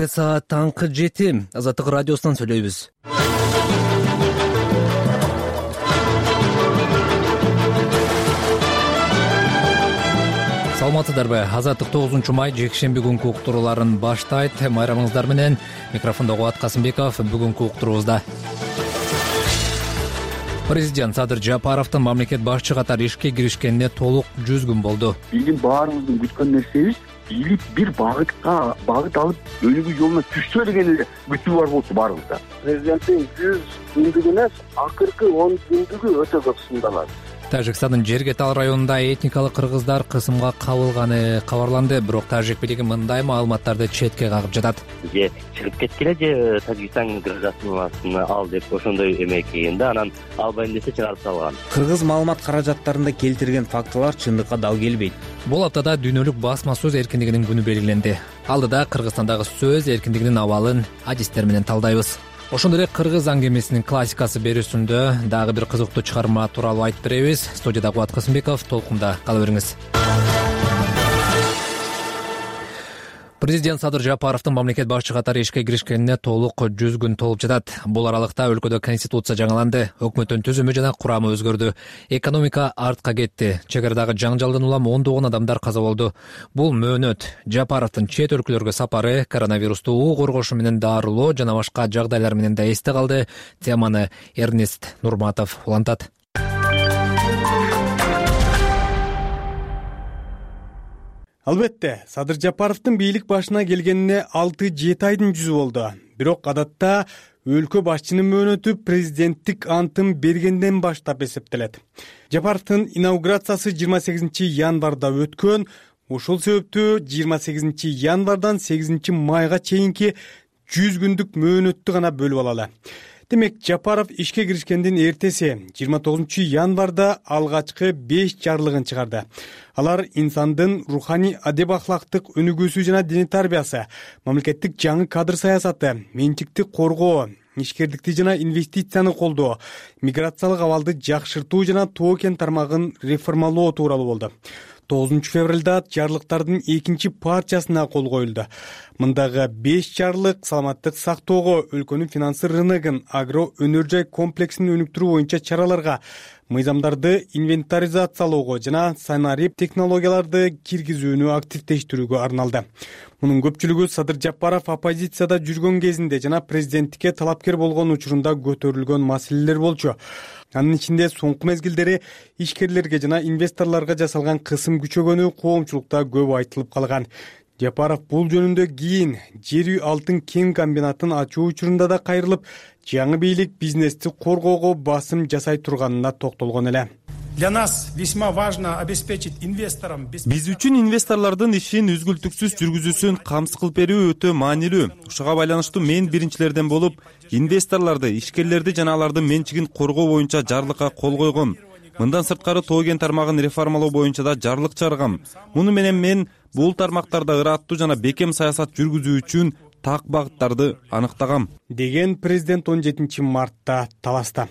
Саат таңкы 7 Азаттык радиосунан сүйлөйбүз. Саламатсыздарбы? Азаттык 9 май жекшемби күнкү уктурууларын баштайт. Майрамыңыздар менен микрофондо Кубат Касымбеков. Бүгүнкү уктуруубузда Президент Садыр Жапаровдун мамлекет башчы катары ишке киришкенине толук 100 күн болду. Биздин баарыбыздын күткөн нерсебиз бийлик бир багыт алып өнүгүү жолуна түшсө деген эле күтүү бар болчу баарыбызда. Президенттин 100 күндүгүнө акыркы 10 күндүгү өтө көп сындалат. Тажикстандын Жергетал районунда этникалык кыргыздар кысымга кабылганы кабарланды, бирок тажик бийлиги мындай маалыматтарды четке кагып жатат. Же чыгып кеткиле, же Тажикстан гражданствосын ал деп ошондой эмеки да, анан албайм десе чыгарып салган. Кыргыз маалымат каражаттарында келтирген фактылар чындыкка дал келбейт. Бул аптада дүйнөлүк басма сөз эркиндигинин күнү белгиленди. Алдыда Кыргызстандагы сөз эркиндигинин абалын адистер менен талдайбыз. Ошондой эле кыргыз аңгемесинин классикасы берүүсүндө дагы бир кызыктуу чыгарма тууралуу айтып беребиз. Студияда Кубат Касымбеков, толкунда кала бериңиз. Президент Садыр Жапаровдун мамлекет башчы катары ишке киришкенине толук 100 күн толуп жатат. Бул аралыкта өлкөдө конституция жаңыланды, өкмөттүн түзүмү жана курамы өзгөрдү. Экономика артка кетти. Чек арадагы жаңжалдан улам ондогон адамдар каза болду. Бул мөөнөт. Жапаровдун чет өлкөлөргө сапары, коронавирусту коргошу менен дарылоо жана башка жагдайлар менен да эсте калды. Теманы Эрнест Нурматов улантат. Албетте, Садыр Жапаровдун бийлик башына келгенине 6-7 айдын жүзү болду. Бирок адатта өлкө башчынын мөөнөтү президенттик антын бергенден баштап эсептелет. Жапаровдун инаугурациясы 28 январда өткөн. Ошол себептүү 28 январдан 8 майга чейинки 100 күндүк мөөнөттү гана бөлүп алалы. Демек, Жапаров ишке киришкендин эртеси 29 январда алгачкы 5 жарлыгын чыгарды. Алар инсандын руханий адеп ахлактык өнүгүүсү жана диний тарбиясы, мамлекеттик жаңы кадр саясаты, менчикти коргоо, ишкердикти жана инвестицияны колдоо, миграциялык абалды жакшыртуу жана тоо кен тармагын реформалоо тууралуу болду. 9 февралда жарлыктардын 2 партиясына кол коюлду. Мындагы 5 жарлык саламаттык сактоого, өлкөнүн финансы рыногун, агро өнөр жай комплексин өнүктүрүү боюнча чараларга, мыйзамдарды инвентаризациялоого жана санарип технологияларды киргизүүнү активдештирүүгө арналды. Мунун көпчүлүгү Садыр Жапаров оппозицияда жүргөн кезинде жана президенттикке талапкер болгон учурунда көтөрүлгөн маселелер болчу. Анын ичинде соңку мезгилдери ишкерлерге жана инвесторлорго жасалган кысым күчөгөнү коомчулукта көп айтылып калган. Жапаров бул жөнүндө кийин жер үй алтын кен комбинатын ачуу учурунда да кайрылып, жаңы бийлик бизнести коргоого басым жасай турганына токтолгон эле. Для нас весьма важно обеспечить инвесторам. Биз үчүн инвесторлордун ишин үзгүлтүксүз жүргүзүүсүн камсыз берүү өтө маанилүү. Ушуга байланыштуу мен биринчилерден болуп, инвесторлорду, ишкерлерди жана алардын менчигин коргоо боюнча жарлыкка кол койгом. Мындан сырткары тоо кен тармагын реформалоо боюнча да жарлык чыгаргам. Муну менен мен бул тармактарда ыраттуу жана бекем саясат жүргүзүү үчүн так багыттарды аныктагам, деген президент 17 мартта таласта.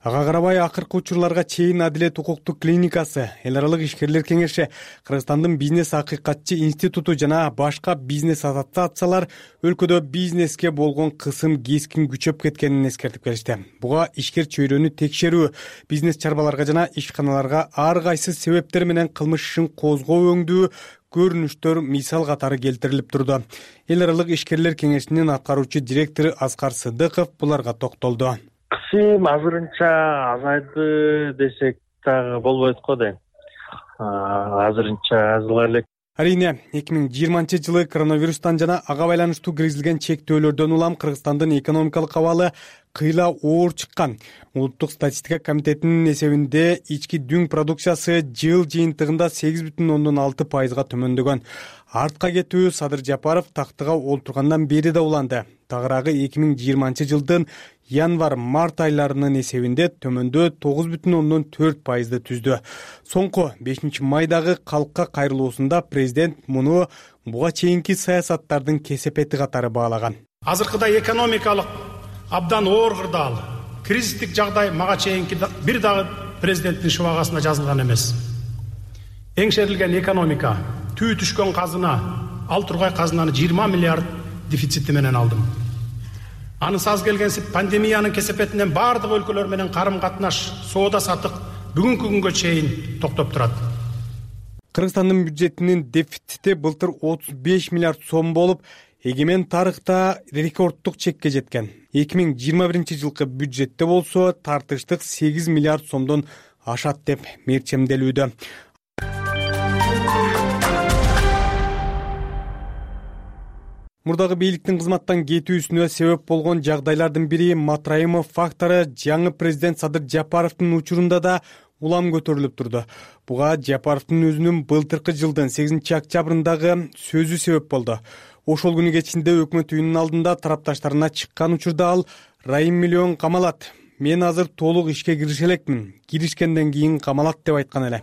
Ага карабай акыркы учурларга чейин Адилет укуктук клиникасы, эл аралык ишкерлер кеңеши, Кыргызстандын бизнес акыйкатчы институту жана башка бизнес ассоциациялар өлкөдө бизнеске болгон кысым кескин күчөп кеткенин эскертип келишти. Буга ишкер чөйрөнү текшерүү, бизнес чарбаларга жана ишканаларга ар кайсы себептер менен кылмыш ишин козгоо өңдүү көрүнүштөр мисал катары келтирилип турду. Эл аралык ишкерлер кеңешинин аткаруучу директору Аскар Сыдыков буларга токтолду. Кысым азырынча азайды десек дагы болбойт го дейм. Азырынча азыла элек. Арийне, 2020-жылы коронавирустан жана ага байланыштуу киргизилген чектөөлөрдөн улам Кыргызстандын экономикалык абалы кыйла оор чыккан. Улуттук статистика комитетинин эсебинде ички дүң продукциясы жыл жыйынтыгында 8,6%га төмөндөгөн. Артка кетүү Садыр Жапаров тактыга олтургандан бери да уланды. Тагыраагы 2020-жылдын январ-март айларынын эсебинде төмөндөө 9,4%ды түздү. Соңку 5 майдагы калкка кайрылуусунда президент муну буга чейинки саясаттардын кесепети катары баалаган. Азыркыда экономикалык абдан оор кырдаал, кризистик жагдай мага чейинки бир дагы президенттин шубагасында жазылган эмес. Эңшерилген экономика, түү түшкөн казына, ал тургай казынаны 20 миллиард дефицити менен алдым. Анысы аз келгенсип пандемиянын кесепетинен баардык өлкөлөр менен карым катнаш, соода сатык бүгүнкү күнгө чейин токтоп турат. Кыргызстандын бюджетинин дефицити былтыр 35 миллиард сом болуп, эгемен тарыхта рекорддук чекке жеткен. 2021 жылкы бюджетте болсо тартыштык 8 миллиард сомдон ашат деп мерчемделүүдө. Мурдагы бийликтин кызматтан кетүүсүнө себеп болгон жагдайлардын бири Матраимов фактору жаңы президент Садыр Жапаровдун учурунда да улам көтөрүлүп турду. Буга Жапаровдун өзүнүн былтыркы жылдын 8 октябрындагы сөзү себеп болду. Ошол күнү кечинде өкмөт үйүнүн алдында тарапташтарына чыккан учурда ал Райым миллион камалат. Мен азыр толук ишке кирише элекмин. Киришкенден кийин камалат деп айткан эле.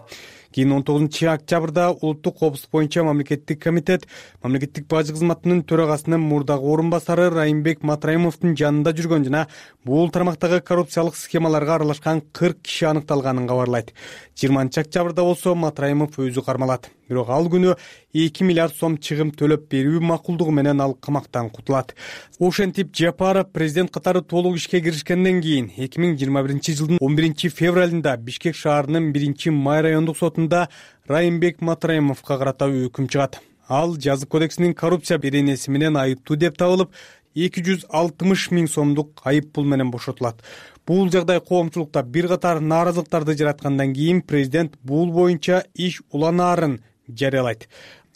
Кийин 19 октябрда улуттук коопсуздук боюнча мамлекеттик комитет мамлекеттик бажы кызматынын төрагасынын мурдагы орун басары Райымбек Матраимовдун жанында жүргөн жана бул тармактагы коррупциялык схемаларга аралашкан 40 киши аныкталганын кабарлайт. 20 октябрда болсо Матраимов өзү кармалат. Бирок ал күнү 2 миллиард сом чыгым төлөп берүү макулдугу менен ал камактан кутулат. Ошентип Жапаров президент катары толук ишке киришкенден кийин 2021 жылдын 11 февралында Бишкек шаарынын 1-Май райондук сотунда Райымбек Матраимовго карата өкүм чыгат. Ал жазык кодексинин коррупция беренеси менен айыптуу деп табылып, 260 миң сомдук айып пул менен бошотулат. Бул жагдай коомчулукта бир катар нааразылыктарды жараткандан кийин президент бул боюнча иш уланаарын жарыялайт.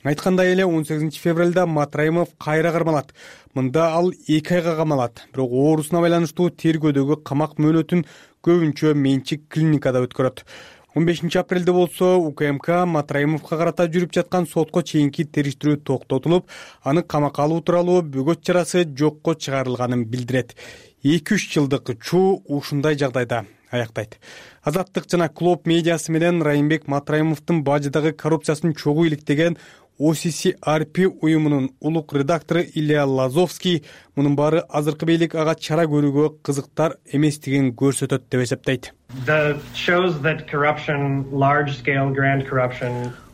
Айткандай эле 18 февралда Матраимов кайра кармалат. Мында ал 2 айга камалат. Бирок оорусуна байланыштуу тергөөдөгү камак мөөнөтүн көбүнчө менчик клиникада өткөрөт. 15 апрелде болсо УКМК Матраимовго карата жүрүп жаткан сотко чейинки териштирүү токтотулуп, аны камакка алуу тууралуу бөгөт чарасы жокко чыгарылганын билдирет. 2-3 жылдык учуу ушундай жагдайда аяктайт. Азаттык жана Клоп медиасы менен Райымбек Матраимовдун бажыдагы коррупциясын чогуу иликтеген OCCRP уюмунун улук редактору Илья Лазовский мунун баары азыркы бийлик ага чара көрүүгө кызыктар эместигин көрсөтөт деп эсептейт.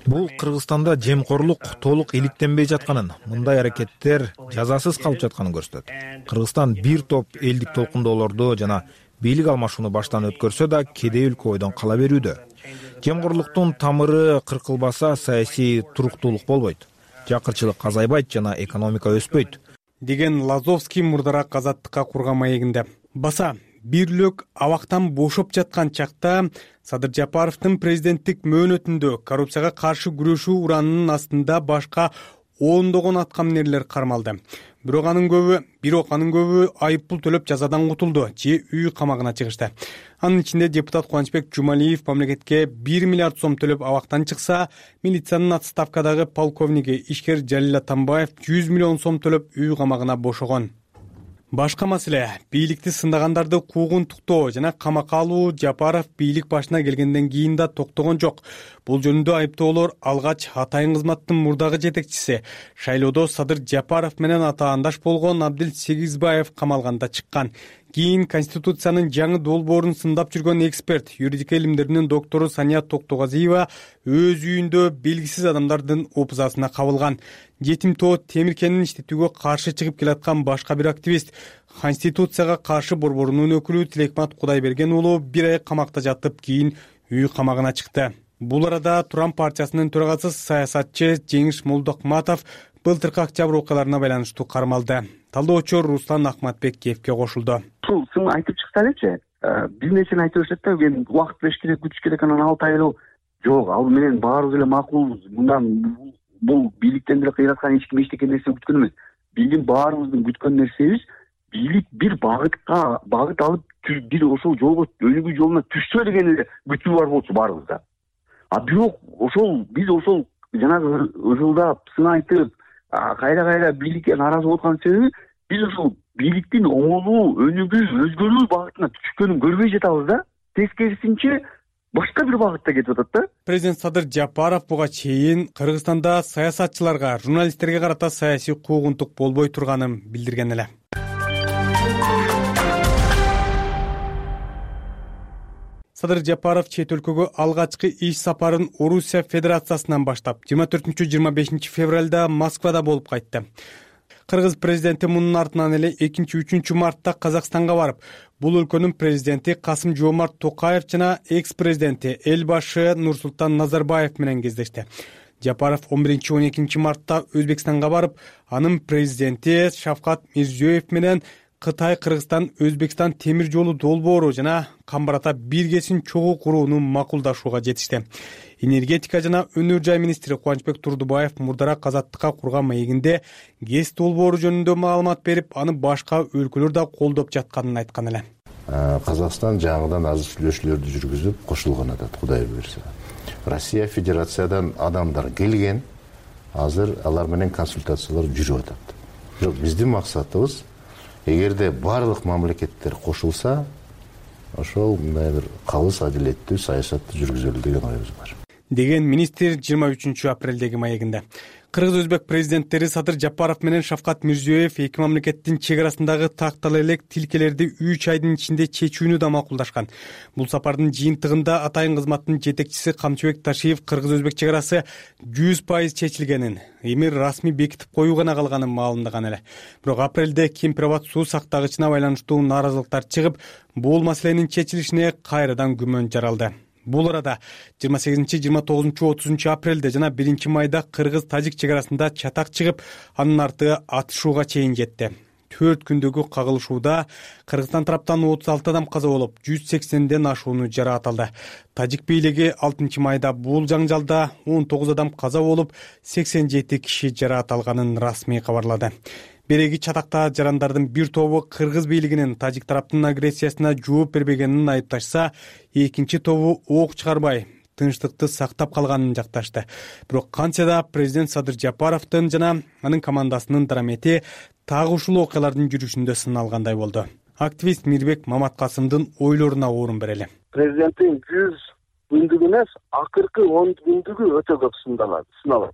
Бул Кыргызстанда жемкорлук толук иликтенбей жатканын, мындай аракеттер жазасыз калып жатканын көрсөтөт. Кыргызстан бир топ элдик толкундоолорду жана бийлик алмашууну баштан өткөрсө да кедей өлкө ойдон кала берүүдө. Жемкорлуктун тамыры кыркылбаса саясий туруктуулук болбойт. Жакырчылык азайбайт жана экономика өспөйт, деген Лазовский мурдараак Азаттыкка курган маегинде. Баса бирлик абактан бошоп жаткан чакта Садыр Жапаровдун президенттик мөөнөтүндө коррупцияга каршы күрөшүү уранынын астында башка ондогон аткаминерлер кармалды. Бирок анын көбү айып пул төлөп жазадан кутулду же үй камагына чыгышты. Анын ичинде депутат Кубанычбек Жумалиев мамлекетке 1 миллиард сом төлөп абактан чыкса, милициянын отставкадагы полковниги ишкер Жалил Атамбаев 100 миллион сом төлөп үй камагына бошогон. Башка маселе бийликти сындагандарды куугунтуктоо жана камакка алуу Жапаров бийлик башына келгенден кийин да токтогон жок. Бул жөнүндө айыптоолор алгач Атайын кызматтын мурдагы жетекчиси шайлоодо Садыр Жапаров менен атаандаш болгон Абдил Сегизбаев камалганда чыккан. Кийин Конституциянын жаңы долбоорун сындап жүргөн эксперт, юридика илимдеринин доктору Сания Токтогазиева өз үйүндө белгисиз адамдардын опузасына кабылган. Жетим тоо Темиркенин иштетүүгө каршы чыгып келаткан башка бир активист, Конституцияга каршы борборунун өкүлү Тилекмат Кудайберген уулу 1 ай камакта жатып, кийин үй камагына чыкты. Бул арада Туран партиясынын төрагасы саясатчы Жеңиш Молдокматов былтыркы октябрь окуяларына байланыштуу кармалды. Талдоочу Руслан Ахматбекиевке кошулду. Ушул сын айтып чыкса элечи, бир нерсени айтып беришет да, мен убакыт бериш керек, күтүш керек, анан 6 ай эле жок, ал менен баарыбыз эле макулбуз. Мындан бул бийликтен деле кыйраткан эч ким эчтеке нерсе күткөн эмес. Биздин баарыбыздын күткөн нерсебиз бийлик бир багыт алып бир ошол жолго өнүгүү жолуна түшсө деген эле күтүү бар болчу баарыбызда. А бирок биз ошол жанагы ышылдап, сын айтып, кайра бийликке нааразы болуп аткан себеби биз ошол бийликтин оңолуу, өнүгүү, өзгөрүү багытына түшкөнүн көрбөй жатабыз да. Тескерисинче башка бир багытта кетип атат да. Президент Садыр Жапаров буга чейин Кыргызстанда саясатчыларга, журналисттерге карата саясий куугунтук болбой турганын билдирген эле. Садыр Жапаров чет өлкөгө алгачкы иш сапарын Орусия Федерациясынан баштап 24-25 февралда Москвада болуп кайтты. Кыргыз президенти мунун артынан эле 2-3 мартта Казакстанга барып, бул өлкөнүн президенти Касым-Жомарт Токаев жана экс-президенти Элбашы Нурсултан Назарбаев менен кездешти. Жапаров 11-12 мартта Өзбекстанга барып, анын президенти Шавкат Мирзиёев менен Кытай, Кыргызстан, Өзбекстан темир жолу долбоору жана Камбарата биргесин чогуу курууну макулдашууга жетишти. Энергетика жана өнөр жай министри Кубанычбек Турдубаев мурдараак Азаттыкка курган маегинде ГЭС долбоору жөнүндө маалымат берип, аны башка өлкөлөр да колдоп жатканын айткан эле. Казакстан жаңыдан азыр сүйлөшүүлөрдү жүргүзүп кошулган атат, Кудай буюрса. Россия Федерациядан адамдар келген, азыр алар менен консультациялар жүрүп атат. Бирок биздин максатыбыз, эгерде барлык мамлекеттер кошулса, ошол мындай бир калыс адилеттүү саясатты жүргүзөлү деген оюбуз бар. Деген министр 23 апрелдеги маегинде. Кыргыз-Өзбек президенттери Садыр Жапаров менен Шавкат Мирзиёев эки мамлекеттин чек арасындагы тактала элек тилкелерди 3 айдын ичинде чечүүнү да макулдашкан. Бул сапардын жыйынтыгында атайын кызматтын жетекчиси Камчыбек Ташиев Кыргыз-Өзбек чек арасы 100% чечилгенин, эми расмий бекитип коюу гана калганын маалымдаган эле. Бирок апрелде Кемпирабад суу сактагычына байланыштуу нааразылыктар чыгып, бул маселенин чечилишине кайрадан күмөн жаралды. Бул арада 28, 29, 30 апрелде жана 1 майда Кыргыз-Тажик чек арасында чатак чыгып, анын арты атышууга чейин жетти. 4 күндөгү кагылышууда Кыргызстан тараптан 36 адам каза болуп, 180ден ашууну жарааталды. Тажик бийлиги 6 майда бул жаңжалда 19 адам каза болуп, 87 киши жарааталганын расмий кабарлады. Береги чатакта жарандардын бир тобу Кыргыз бийлигинин Тажик тараптын агрессиясына жооп бербегенин айыпташса, экинчи тобу ок чыгарбай, тынчтыкты сактап калганын жакташты. Бирок кантсе да президент Садыр Жапаровдун жана анын командасынын дарамети так ушул окуялардын жүрүшүндө сыналгандай болду. Активист Мирбек Маматкасымдын ойлоруна орун берели. Президенттин 100 күндүгү эмес, акыркы 10 күндүгү өтө көп сыналат.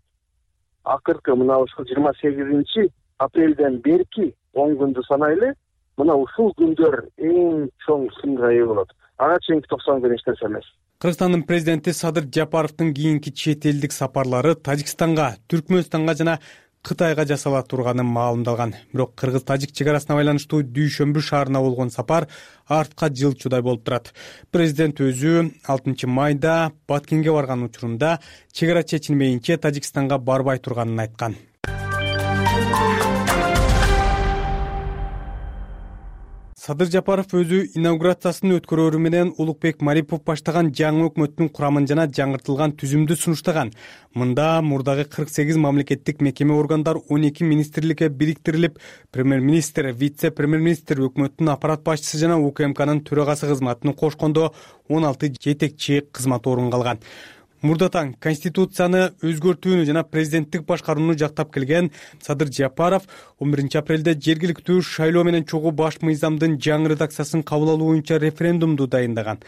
Акыркы мына ушул 28 апрелден берки 10 күндү санайлы, мына ушул күндөр эң чоң сынга ээ болот. Ага чейинки 90 күн эч нерсе эмес. Кыргызстандын президенти Садыр Жапаровдун кийинки чет элдик сапарлары Тажикстанга, Түркмөнстанга жана Кытайга жасала турганы маалымдалган. Бирок Кыргыз-Тажик чек арасына байланыштуу Дүйшөмбү шаарына болгон сапар артка жылчудай болуп турат. Президент өзү 6 майда Баткенге барган учурунда чек ара чечилмейинче Тажикстанга барбай турганын айткан. Садыр Жапаров өзү инаугурациясын өткөрөөрү менен Улукбек Марипов баштаган жаңы өкмөттүн курамын жана жаңыртылган түзүмдү сунуштаган. Мында мурдагы 48 мамлекеттик мекеме органдар 12 министрликке бириктирилип, премьер-министр, вице-премьер-министр, өкмөттүн аппарат башчысы жана УКМКнын төрагасы кызматын кошкондо 16 жетекчи кызмат орун алган. Мурдатан Конституцияны өзгөртүүнү жана президенттик башкарууну жактап келген Садыр Жапаров 11 апрелде жергиликтүү шайлоо менен чогуу баш мыйзамдын жаңы редакциясын кабыл алуу боюнча референдумду дайындаган.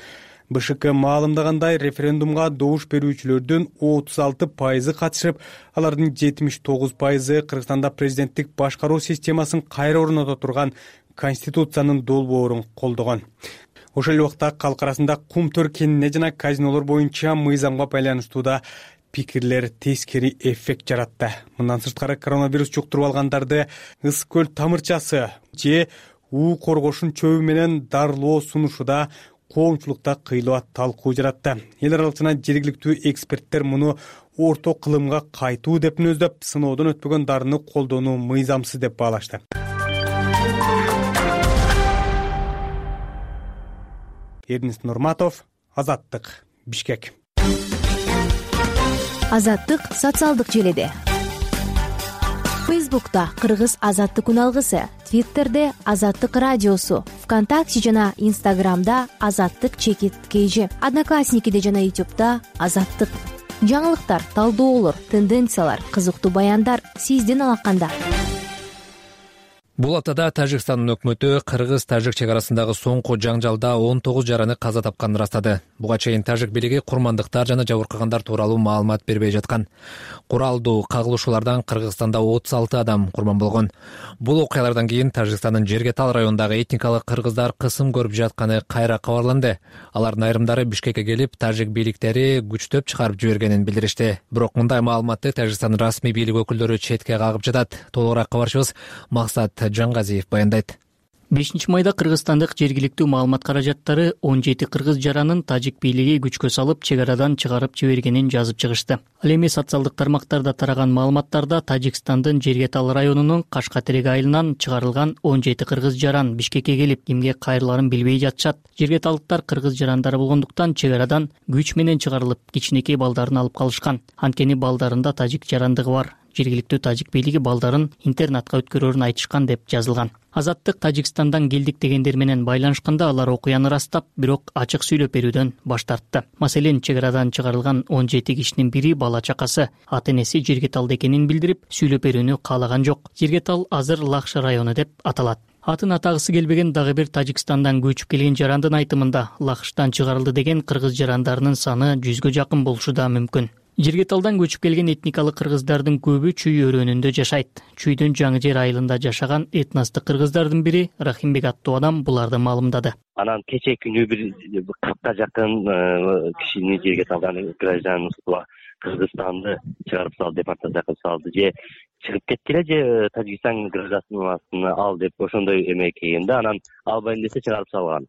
БШК маалымдагандай, референдумга добуш берүүчүлөрдүн 36% катышып, алардын 79% Кыргызстанда президенттик башкаруу системасын кайра орното турган Конституциянын долбоорун колдогон. Ошол убакта калк арасында Кумтөр кенине жана казинолор боюнча мыйзамга байланыштуу да пикирлер тескери эффект жаратты. Мындан сырткары коронавирус жуктуруп алгандарды ысык көл тамырчасы же уу коргошун чөбү менен дарылоо сунушуда коомчулукта кыйлык талкуу жаратты. Эл аралык жана жергиликтүү эксперттер муну орто кылымга кайтуу деп мүнөздөп, сыноодон өтпөгөн дарыны колдонуу мыйзамсыз деп баалашты. Эрнест Нурматов, Азаттык, Бишкек. Азаттык социалдык желеде. Фейсбукта Кыргыз Азаттык күн алгысы, Твиттерде Азаттык радиосу, ВКонтакте жана Инстаграмда Азаттык_KG, Одноклассникиде жана Ютубта Азаттык. Жаңылыктар, талдоолор, тенденциялар, кызыктуу баяндар сиздин алаканда. Бул аптада Тажикстандын өкмөтү кыргыз-тажик чек арасындагы соңку жаңжалда 19 жараны каза тапканын ырастады. Буга чейин тажик бийлиги курмандыктар жана жабыркагандар тууралуу маалымат бербей жаткан. Куралдуу кагылышуулардан Кыргызстанда 36 адам курман болгон. Бул окуялардан кийин Тажикстандын Жергетал районундагы этникалык кыргыздар кысым көрүп жатканы кайра кабарланды. Алардын айрымдары Бишкекке келип, тажик бийликтери күчтөп чыгарып жибергенин билдиришти. Бирок мындай маалыматты Тажикстандын расмий бийлик өкүлдөрү четке кагып жатат. Толугураак кабарчыбыз Максат Жангазиев баяндайт. 5-майда Кыргызстандык жергиликтүү маалымат каражаттары 17 кыргыз жаранын тажик бийлиги күчкө салып чек арадан чыгарып жибергенин жазып чыгышты. Ал эми социалдык тармактарда тараган маалыматтарда Тажикстандын Жергетал районунун Кашкатерек айылынан чыгарылган 17 кыргыз жаран Бишкекке келип эмне кайрыларын билбей жатышат. Жергеталдыктар кыргыз жарандары болгондуктан чек арадан күч менен чыгарылып, кичинекей балдарын алып калышкан. Анткени балдарында тажик жарандыгы бар. Жергиликтүү тажик бийлиги балдарын интернатка өткөрөрүн айтышкан деп жазылган. Азаттык Тажикстандан келдик дегендер менен байланышканда алар окуяны ырастап, бирок ачык сүйлөп берүүдөн баш тартты. Маселен, чек арадан чыгарылган 17 кишинин бири бала чакасы, ата-энеси Жергеталда экенин билдирип, сүйлөп берүүнү каалаган жок. Жергетал азыр Лакша району деп аталат. Атын атагысы келбеген дагы бир Тажикстандан көчүп келген жарандын айтымында Лахштан чыгарылды деген кыргыз жарандарынын саны 100гө жакын болушу да мүмкүн. Жергеталдан көчүп келген этникалык кыргыздардын көбү Чүй өрөөнүндө жашайт. Чүйдүн Жаңы жер айылында жашаган этностук кыргыздардын бири Рахимбек аттуу адам буларды маалымдады. Анан кечээ күнү бир 40ка жакын кишини Жергеталдан гражданство Кыргызстанды чыгарып салды, депортация кылып салды. Же чыгып кеткиле, же Тажикстан гражданствосын ал деп ошондой эме келген да, анан албайм десе чыгарып салган.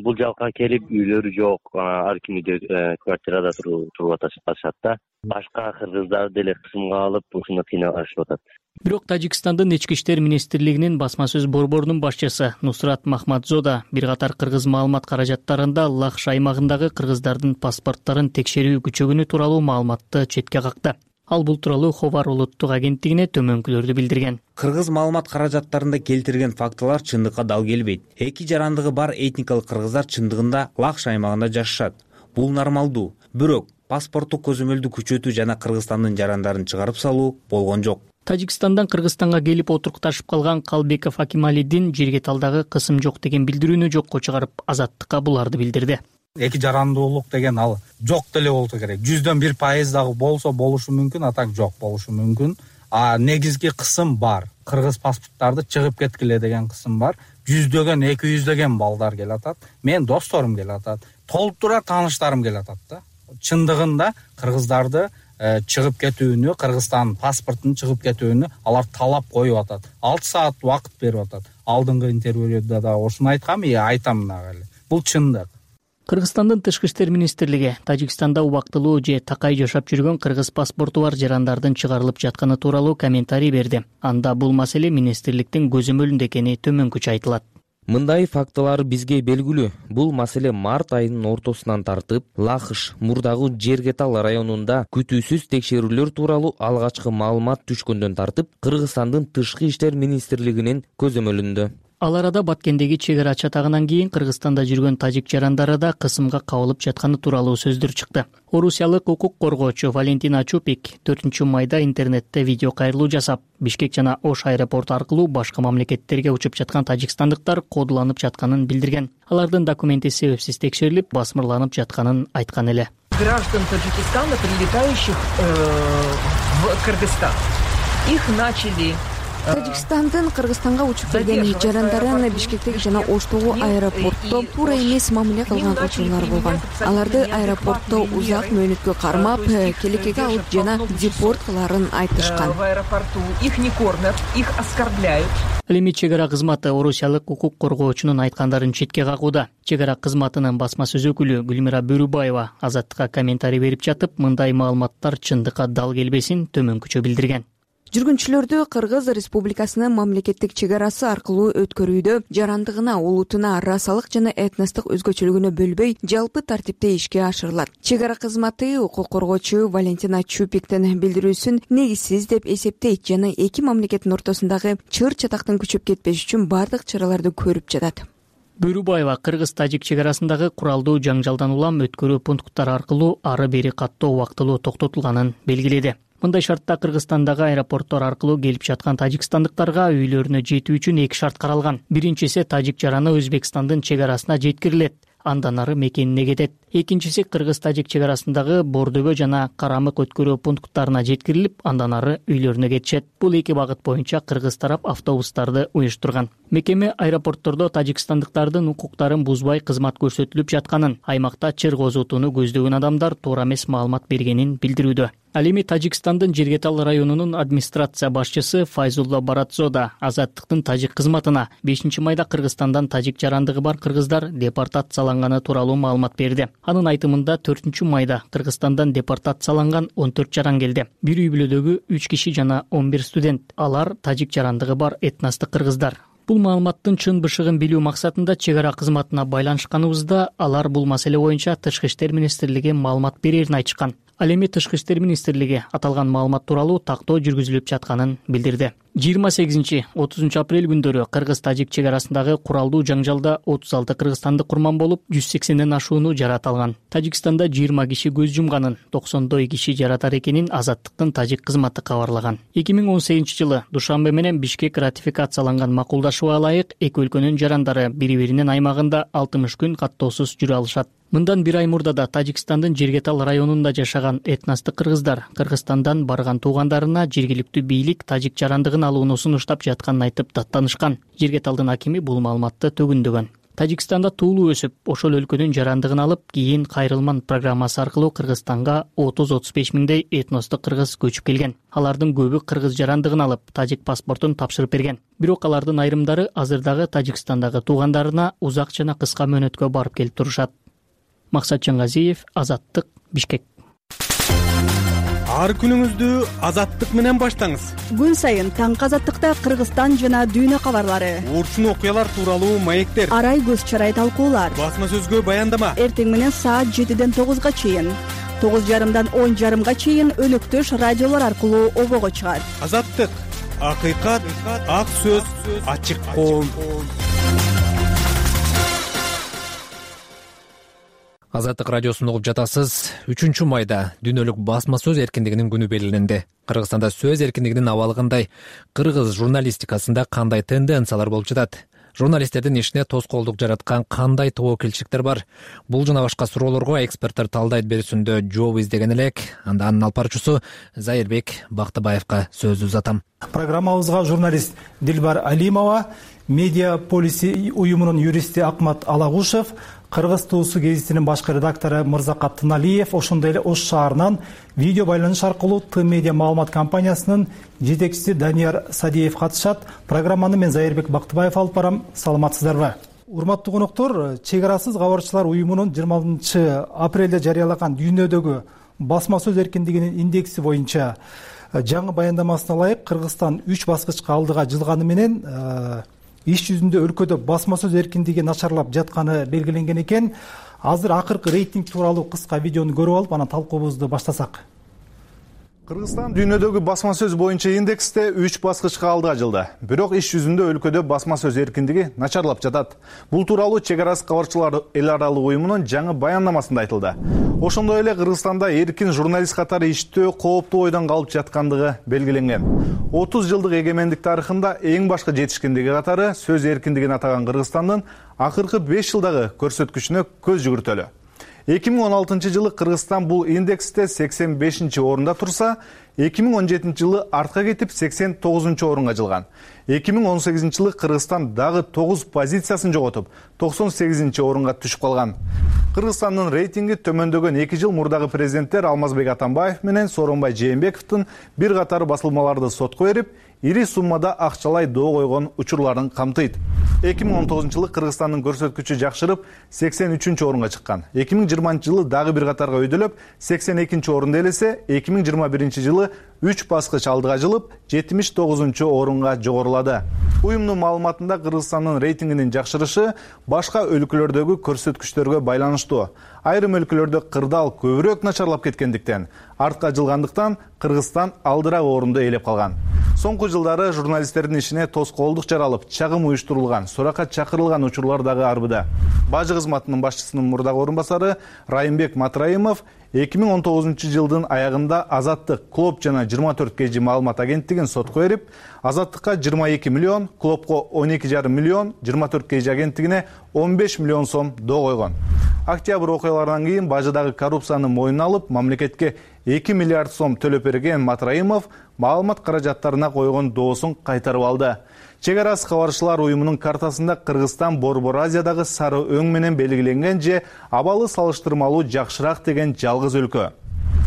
Бул жака келип үйлөрү жок, ар кимде квартирада туруп атышат да. Башка кыргыздар деле кысымга алып, ушуну кыйнашып атат. Бирок Тажикстандын Ички иштер министрлигинин басма сөз борборунун башчысы Нусрат Махмадзода бир катар кыргыз маалымат каражаттарында Лакша аймагындагы кыргыздардын паспортторун текшерүү күчөгөнү тууралуу маалыматты четке какты. Ал бул тууралуу Ховар улуттук агенттигине төмөнкүлөрдү билдирген. Кыргыз маалымат каражаттарында келтирген фактылар чындыкка дал келбейт. Эки жарандыгы бар этникалык кыргыздар чындыгында Лакша аймагында жашашат. Бул нормалдуу. Бирок паспорттук көзөмөлдү күчөтүү жана Кыргызстандын жарандарын чыгарып салуу болгон жок. Тажикстандан Кыргызстанга келип отурукташып калган Калбеков Акималидин Жергеталдагы кысым жок деген билдирүүнү жокко чыгарып, Азаттыкка буларды билдирди. Эки жарандуулук деген ал жок деле болсо керек. 100дөн 1% дагы болсо болушу мүмкүн, атак жок болушу мүмкүн. Негизги кысым бар. Кыргыз паспорттарды чыгып кеткиле деген кысым бар. 100дөгөн 200дөгөн балдар келатат. Мен досторум келатат. Толтура тааныштарым келатат да. Чындыгында кыргыздарды чыгып кетүүнү, Кыргызстан паспортунун чыгып кетүүнү алар талап коюп атат. 6 саат убакыт берип атат. Алдыңкы интервьюда да ошону айткам, айтам дагы эле. Бул чындык. Кыргызстандын Тышкы иштер министрлиги Тажикстанда убактылуу же такай жашап жүргөн кыргыз паспорту бар жарандардын чыгарылып жатканы тууралуу комментарий берди. Анда бул маселе министрликтин көзөмөлүндө экени төмөнкүчө айтылат. Мындай фактылар бизге белгилүү. Бул маселе март айынын ортосунан тартып, Лахыш мурдагы Жергетал районунда күтүүсүз текшерүүлөр тууралуу алгачкы маалымат түшкөндөн тартып, Кыргызстандын Тышкы иштер министрлигинин көзөмөлүндө. Ал арада Баткендеги чек ара чатагынан кийин Кыргызстанда жүргөн тажик жарандары да кысымга кабылып жатканы тууралуу сөздөр чыкты. Орусиялык укук коргоочу Валентина Чупик 4-майда интернетте видео кайрылуу жасап, Бишкек жана Ош аэропорту аркылуу башка мамлекеттерге учуп жаткан тажикстандыктар кодуланып жатканын билдирген. Алардын документи себепсиз текшерилип, басмырланып жатканын айткан эле. Граждан Таджикистана, прилетающих в Кыргызстан. Их начали Тажикстандын Кыргызстанга учуп келген жарандарын Бишкектеги жана Оштогу аэропортто туура эмес мамиле кылган учурлар болгон. Аларды аэропортто узак мөөнөткө кармап, келекеге алып жана депорт кыларын айтышкан. В аэропорту их не кормят, их оскорбляют. Ал эми чек ара кызматы орусиялык укук коргоочунун айткандарын четке кагууда. Чек ара кызматынын басма сөз өкүлү Гүлмира Бөрүбаева Азаттыкка комментарий берип жатып, мындай маалыматтар чындыкка дал келбесин төмөнкүчө билдирген. Жүргүнчүлөрдү Кыргыз Республикасынын мамлекеттик чек арасы аркылуу өткөрүүдө жарандыгына, улутуна, расалык жана этностук өзгөчөлүгүнө бөлбөй, жалпы тартипте ишке ашырылат. Чек ара кызматы укук коргоочу Валентина Чупиктин билдирүүсүн негизсиз деп эсептейт жана эки мамлекеттин ортосундагы чыр чатактын күчөп кетпеш үчүн бардык чараларды көрүп жатат. Бөрүбаева кыргыз-тажик чек арасындагы куралдуу жаңжалдан улам өткөрүү пункттары аркылуу ары бери каттоо убактылуу токтотулганын белгиледи. мындай шартта Кыргызстандагы аэропорттор аркылуу келип жаткан тажикстандыктарга үйлөрүнө жетүү үчүн 2 шарт каралган. Биринчиси тажик жараны Өзбекстандын чек арасына жеткирилет, андан ары мекенине кетет. Экинчиси кыргыз-тажик чек арасындагы Бордөбө жана Карамык өткөрүү пункттарына жеткирилип, андан ары үйлөрүнө кетишет. Бул 2 багыт боюнча кыргыз тарап автобустарды уюштурган. Мекеме аэропорттордо тажикстандыктардын укуктарын бузбай кызмат көрсөтүлүп жатканын, аймакта чыр козутууну көздөгөн адамдар туура эмес маалымат бергенин билдирүүдө. Ал эми Тажикстандын Жергетал районунун администрация башчысы Файзулла Баратзода Азаттыктын тажик кызматына 5-майда Кыргызстандан тажик жарандыгы бар кыргыздар депортацияланганы тууралуу маалымат берди. Анын айтымында 4-майда Кыргызстандан депортацияланган 14 жаран келди. Бир үй бүлөдөгү 3 киши жана 11 студент. Алар тажик жарандыгы бар этностук кыргыздар. Бул маалыматтын чын бышыгын билүү максатында чек ара кызматына байланышканыбызда алар бул маселе боюнча Тышкы иштер министрлиги маалымат берерин айтышкан. Ал эми Тышкы иштер министрлиги аталган маалымат тууралуу тактоо жүргүзүлүп жатканын билдирди. 28-30 апрель күндөрү кыргыз-тажик чек арасындагы куралдуу жаңжалда 36 кыргызстандык курман болуп, 180ден ашууну жарат алган. Тажикстанда 20 киши көз жумганын, 90 киши жаратар экенин Азаттыктын тажик кызматы кабарлаган. 2018-жылы Душанбе менен Бишкек ратификацияланган макулдашууга ылайык эки өлкөнүн жарандары бири-биринин аймагында 60 күн каттоосуз жүрө алышат. Мындан бир ай мурда да Тажикстандын Жергетал районунда жашаган этностук кыргыздар Кыргызстандан барган туугандарына жергиликтүү бийлик тажик жарандыгын алууну сунуштап жатканын айтып даттанышкан. Жергеталдын акими бул маалыматты төгүндөгөн. Тажикстанда туулуу өсүп, ошол өлкөнүн жарандыгын алып, кийин Кайрылман программасы аркылуу Кыргызстанга 30-35 миңдей этностук кыргыз көчүп келген. Алардын көбү кыргыз жарандыгын алып, тажик паспортун тапшырып берген. Бирок алардын айрымдары азырдагы Тажикстандагы туугандарына узак жана кыска мөөнөткө барып келип турушат. Максат Жангазиев, Азаттык, Бишкек. Ар күнүңүздү Азаттык менен баштаңыз. Күн сайын таңкы Азаттыкта Кыргызстан жана дүйнө кабарлары, урчун окуялар тууралуу маектер, арай көз чарай талкуулар, басма сөзгө баяндама. Эртең менен саат 7ден 9га чейин, 9:30дан 10:30га чейин өнөктөш радиолор аркылуу обого чыгат. Азаттык, акыйкат, ак сөз, ачык коом. Азаттык радиосун угуп жатасыз. 3-майда дүйнөлүк басма сөз эркиндигинин күнү белгиленди. Кыргызстанда сөз эркиндигинин абалыгындай кыргыз журналистикасында кандай тенденциялар болуп жатат? Журналисттердин ишине тоскоолдук жараткан кандай тобокелчиликтер бар? Бул жана башка суроолорго эксперттер талдайт берүүсүндө жооп издеген элек. Анда анын алып баруучусу Зайырбек Бактыбаевга сөз узатам. Программабызга журналист Дилбар Алимова, Медиа полиси уюмунун юристи Акмат Алагушев, Кыргыз туусу гезитинин башкы редактору Мырзакат Тыналиев, ошондой эле Ош шаарынан видео байланыш аркылуу Т-медиа маалымат компаниясынын жетекчиси Данияр Садиев катышат. Программаны мен Зайырбек Бактыбаев алып барам. Саламатсыздарбы? Урматтуу коноктор, чек арасыз кабарчылар уюмунун 26 апрелде жарыялаган дүйнөдөгү басма сөз эркиндигинин индекси боюнча жаңы баяндамасына ылайык Кыргызстан 3 баскычка алдыга жылганы менен иш жүзүндө өлкөдө басма сөз эркиндиги начарлап жатканы белгиленген экен. Азыр акыркы рейтинг тууралуу кыска видеону көрүп алып, анан талкуубузду баштасак. Кыргызстан дүйнөдөгү басма сөз боюнча индексте 3 баскычка алдыга жылды. Бирок иш жүзүндө өлкөдө басма сөз эркиндиги начарлап жатат. Бул тууралуу чек арасы кабарчылар эл аралык уюмунун жаңы баяндамасында айтылды. Ошондой эле Кыргызстанда эркин журналист катары иштөө кооптуу ойдон калып жаткандыгы белгиленген. 30 жылдык эгемендик тарыхында эң башкы жетишкендиги катары сөз эркиндигин атаган Кыргызстандын акыркы 5 жылдагы көрсөткүчүнө көз жүгүртөлү. 2016 жылы Кыргызстан бул индексте 85-орунда турса, 2017 жылы артка кетип 89-орунга жылган. 2018 жылы Кыргызстан дагы 9 позициясын жоготуп, 98-орунга түшүп калган. Кыргызстандын рейтинги төмөндөгөн 2 жыл мурдагы президенттер Алмазбек Атамбаев менен Сооронбай Жээнбековдун бир катар басылмаларды сотко берип, ири суммада акчалай доо койгон учурларын камтыйт. 2019 жылы Кыргызстандын көрсөткүчү жакшырып 83-орунга чыккан. 2020 жылы дагы бир катарга өйдөлөп 82-орунда элесе, 2021 жылы 3 баскыч алдыга жылып 79-орунга жогорулады. Уюмдун маалыматында Кыргызстандын рейтингинин жакшырышы башка өлкөлөрдөгү көрсөткүчтөргө байланыштуу. Айрым өлкөлөрдө кырдаал көбүрөөк начарлап кеткендиктен, артка жылгандыктан Кыргызстан алдыраак орунду ээлеп калган. Соңку жылдары журналисттердин ишине тоскоолдук жаралып, чагым уюштурулган, суракка чакырылган учурлар дагы арбыда. Бажы кызматынын башчысынын мурдагы орун басары Райымбек Матраимов 2019 жылдын аягында Азаттык Клоп жана 24 KG маалымат агенттигин сотко берип, Азаттыкка 22 миллион, Клопко 12,5 миллион, 24 KG агенттигине 15 миллион сом доо койгон. Октябрь окуяларынан кийин бажыдагы коррупцияны мойнуна алып, мамлекетке 2 миллиард сом төлөп берген Матраимов маалымат каражаттарына койгон доосун кайтарып алды. Чек ара кабарчылар уюмунун картасында Кыргызстан Борбор Азиядагы сары өң менен белгиленген же абалы салыштырмалуу жакшыраак деген жалгыз өлкө.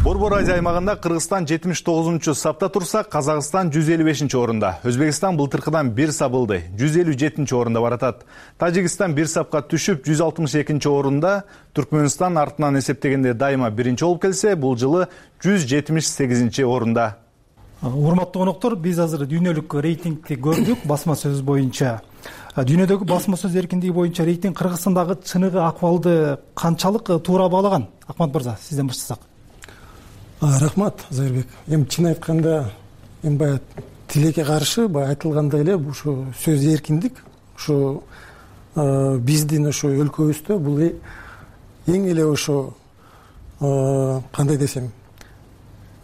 Борбор Азия аймагында Кыргызстан 79-сапта турса, Казакстан 155-орунда. Өзбекстан былтыркыдан 1 сабылды, 157-орунда баратат. Тажикстан 1 сапка түшүп 162-орунда, Түркмөнстан артынан эсептегенде дайыма 1-чи болуп келсе, бул жылы 178-орунда. Урматтуу коноктор, биз азыр дүйнөлүк рейтингти көрдүк басма сөз боюнча. Дүйнөдөгү басма сөз эркиндиги боюнча рейтинг Кыргызстандагы чыныгы акыбалды канчалык туура баалаган? Акмат мырза, сизден баштасак. Рахмат, Зайырбек. Чын айтканда, баягы тилекке каршы баягы айтылгандай эле ушу сөз эркиндик, ушу биздин ушу өлкөбүздө бул эң эле ушу кандай десем,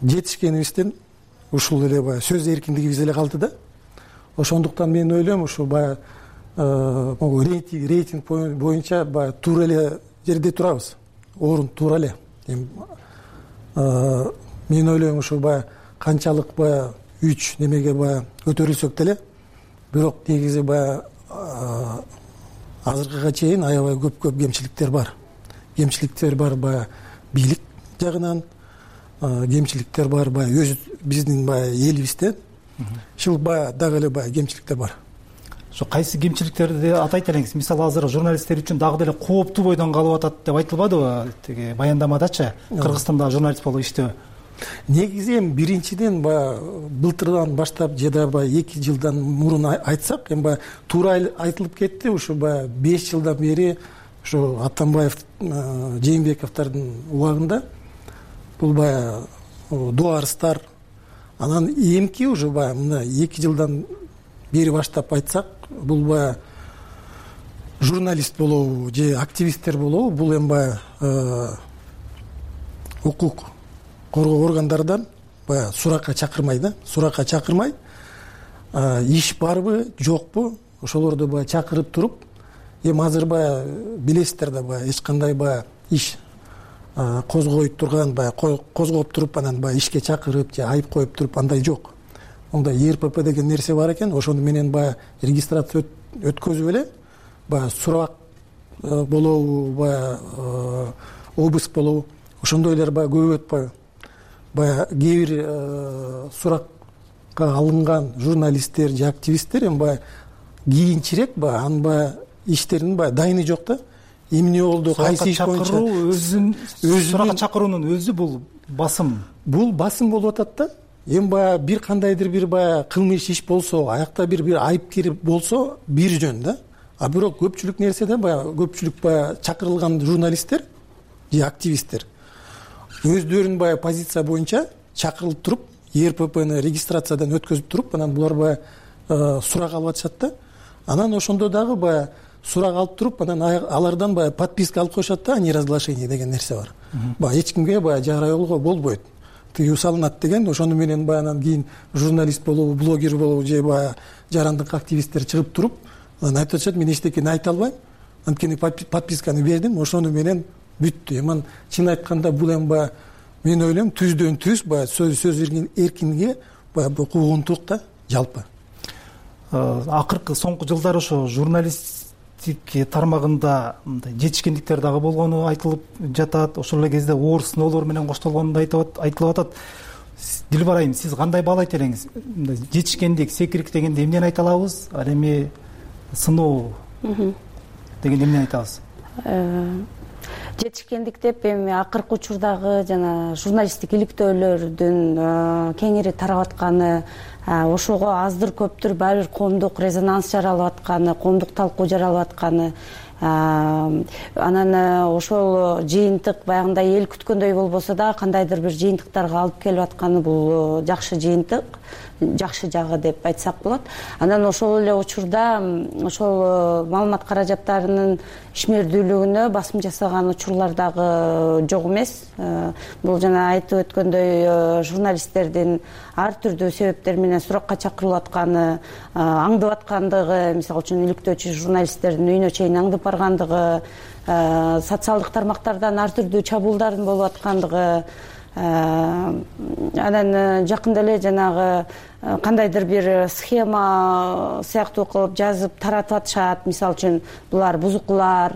жетишкенибизден ушул эле баягы сөз эркиндигибиз эле калды да. Ошондуктан мен ойлойм, ушу баягы рейтинг боюнча баягы туура эле жерде турабыз. Орун туура эле. Мен ойлойм, ушу баягы канчалык баягы 3 немеге баягы көтөрүлсөк деле, бирок негизи баягы азыркыга чейин аябай көп кемчиликтер бар. Кемчиликтер бар баягы бийлик жагынан, кемчиликтер бар баягы өз биздин баягы элибизде. Ушул баягы дагы эле баягы кемчиликтер бар. Ошо кайсы кемчиликтерди атайт элеңиз? Мисалы азыр журналисттер үчүн дагы деле кооптуу бойдон калып атат деп айтылбадыбы? Тиги баяндамадачы, Кыргызстанда журналист болуп иштөө. Негизи биринчиден баягы былтырдан баштап же да баягы 2 жылдан мурун айтсак, баягы туура айтылып кетти. Ушу баягы 5 жылдан бери ушу Атамбаев, Жээнбековдордун убагында бул баягы доо арыздар, анан эмки уже баягы мына 2 жылдан бери баштап айтсак, бул баягы журналист болобу же активисттер болобу, бул эми баягы укук коргоо органдардан баягы суракка чакырмай да, суракка чакырмай, иш барбы, жокпу, ошолорду баягы чакырып туруп, эми азыр баягы билесиздер да, баягы эч кандай баягы иш козгой турган, баягы козгоп туруп анан баягы ишке чакырып же айып коюп туруп андай жок. Ондай РПП деген нерсе бар экен, ошону менен баягы регистрация өткөзүп эле, баягы сурак болобу, баягы обыск болобу, ошондойлор баягы көп өтпөйбү. Баягы кээ бир суракка алынган журналисттер же активисттер эми баягы кийинчерээк баягы анын баягы иштеринин баягы дайыны жок да. Эмне болду, кайсы иш боюнча өзүн суракка чакыруунун өзү бул басым. Бул басым болуп атат да. Эми баягы бир кандайдыр бир баягы кылмыш иш болсо, аякта бир айыпкер болсо бир жөн да. А бирок көпчүлүк нерседе баягы көпчүлүк баягы чакырылган журналисттер же активисттер өздөрүнүн баягы позиция боюнча чакырылып туруп, РППны регистрациядан өткөзүп туруп, анан булар баягы сурак алып атышат да. Анан ошондо дагы баягы сурак алып туруп, анан алардан баягы подписка алып коюшат да, неразглашение деген нерсе бар. Баягы эч кимге баягы жарыялоого болбойт. Тыюу салынат деген, ошону менен баягы анан кийин журналист болобу, блогер болобу же баягы жарандык активисттер чыгып туруп, анан айтып атышат, мен эчтекени айта албайм, анткени подписканы бердим, ошону менен бүттү. Эми чын айтканда бул эми баягы мен ойлойм түздөн түз баягы сөз эркиндиги баягы куугунтук да жалпы. Акыркы соңку жылдары ошо журналистик тармагында жетишкендиктер дагы болгону айтылып жатат. Ошол эле кезде оор сыноолор менен коштолгону да айтылып атат. Дилбар айым, сиз кандай баалайт элеңиз? Жетишкендик, секирик дегенде эмнени айта алабыз? Ал эми сыноо дегенде эмнени айтабыз? Жетишкендик деп эми акыркы учурдагы жана журналисттик иликтөөлөрдүн кеңири тарап атканы, ошого аздыр көптүр баары бир коомдук резонанс жаралып атканы, коомдук талкуу жаралып атканы, Анан ошол жыйынтык баягындай эл күткөндөй болбосо да кандайдыр бир жыйынтыктарга алып келип атканы бул жакшы жыйынтык, жакшы жагы деп айтсак болот. Анан ошол эле учурда ошол маалымат каражаттарынын ишмердүүлүгүнө басым жасаган учурлар дагы жок эмес. Бул жана айтып өткөндөй журналисттердин ар түрдүү себептер менен суракка чакырылып атканы, аңдып аткандыгы, мисалы үчүн иликтөөчү журналисттердин үйүнө чейин аңдып баргандыгы, социалдык тармактардан ар түрдүү чабуулдардын болуп аткандыгы, анан жакында эле жанагы кандайдыр бир схема сыяктуу кылып жазып таратып атышат. Мисалы үчүн булар бузукулар,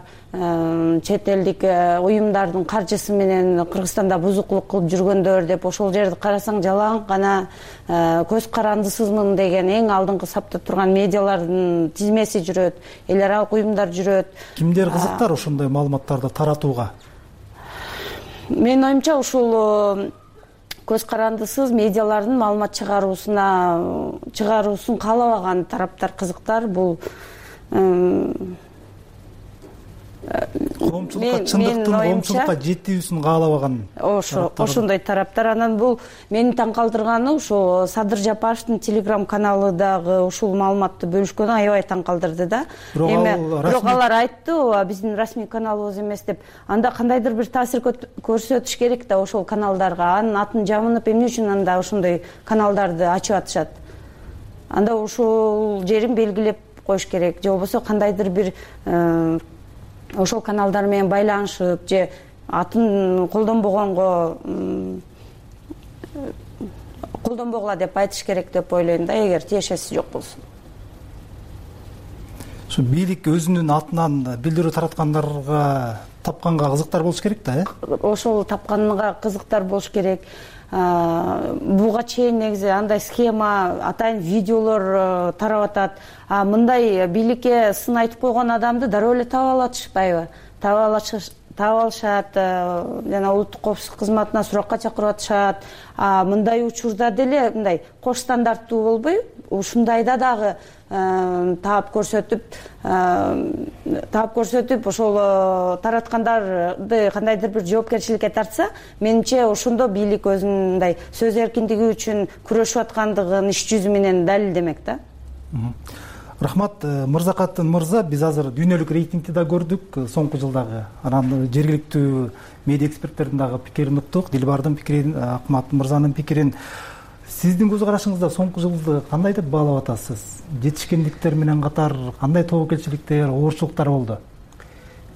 чет элдик уюмдардын каржысы менен Кыргызстанда бузукулук кылып жүргөндөр деп, ошол жерди карасаң жалаң гана көз карандысызмын деген эң алдыңкы сапта турган медиалардын тизмеси жүрөт, эл аралык уюмдар жүрөт. Кимдер кызыктар ошондой маалыматтарды таратууга? Менин оюмча ушул көз карандысыз медиалардын маалымат чыгаруусун каалабаган тараптар кызыктар. Бул коомчулукка чындыктын коомчулукка жетүүсүн каалабаган ошондой тараптар. Анан бул мени таң калтырганы ушул Садыр Жапаровдун телеграм каналы дагы ушул маалыматты бөлүшкөнү аябай таң калтырды да. Бирок алар айтты, биздин расмий каналыбыз эмес деп. Анда кандайдыр бир таасир көрсөтүш керек да ошол каналдарга. Анын атын жамынып эмне үчүн анда ошондой каналдарды ачып атышат? Анда ушул жерин белгилеп коюш керек. Же болбосо кандайдыр бир ошол каналдар менен байланышып же атын колдонбогула деп айтыш керек деп ойлойм да, эгер тиешеси жок болсо. Ушу бийлик өзүнүн атынан билдирүү тараткандарга тапканга кызыктар болуш керек да, Ошол тапканга кызыктар болуш керек. Буга чейин негизи андай схема, атайын видеолор тарап атат. Мындай бийликке сын айтып койгон адамды дароо эле таап алышпайбы? Таап алышат, жана улуттук коопсуздук кызматына суракка чакырып атышат. Мындай учурда деле мындай кош стандарттуу болбой, ушундайда дагы таап көрсөтүп ошол тараткандарды кандайдыр бир жоопкерчиликке тартса, менимче ошондо бийлик өзүнүн мындай сөз эркиндиги үчүн күрөшүп аткандыгын иш жүзү менен далилдемек да. Рахмат, Мырзакатын мырза, биз азыр дүйнөлүк рейтингти да көрдүк соңку жылдагы. Анан жергиликтүү медиа эксперттердин дагы пикирин уктук, Дилбардын пикирин, Акмат мырзанын пикирин. Сиздин көз карашыңызда соңку жылды кандай деп баалап атасыз? Жетишкендиктер менен катар кандай тобокелчиликтер, оорчулуктар болду?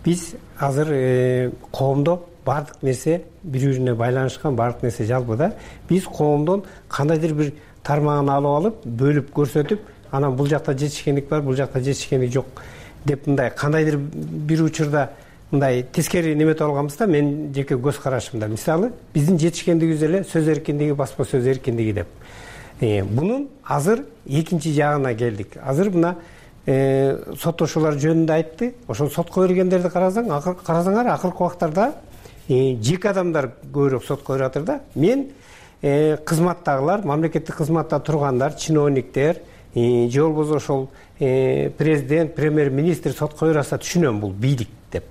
Биз азыр коомдо баардык нерсе бири-бирине байланышкан, баардык нерсе жалпы да. Биз коомдон кандайдыр бир тармагын алып алып, бөлүп көрсөтүп, анан бул жакта жетишкендик бар, бул жакта жетишкендик жок деп мындай кандайдыр бир учурда мындай тескери неметип алганбыз да. Мен жеке көз карашымда мисалы биздин жетишкендигибиз эле сөз эркиндиги, басма сөз эркиндиги деп. Бунун азыр экинчи жагына келдик. Азыр мына соттошуулар жөнүндө айтты. Ошол сотко бергендерди карасаңар, акыркы убактарда жеке адамдар көбүрөөк сотко берип атыр да. Мен кызматтагылар, мамлекеттик кызматта тургандар, чиновниктер, же болбосо ошол президент, премьер-министр сотко берип атса түшүнөм, бул бийлик деп.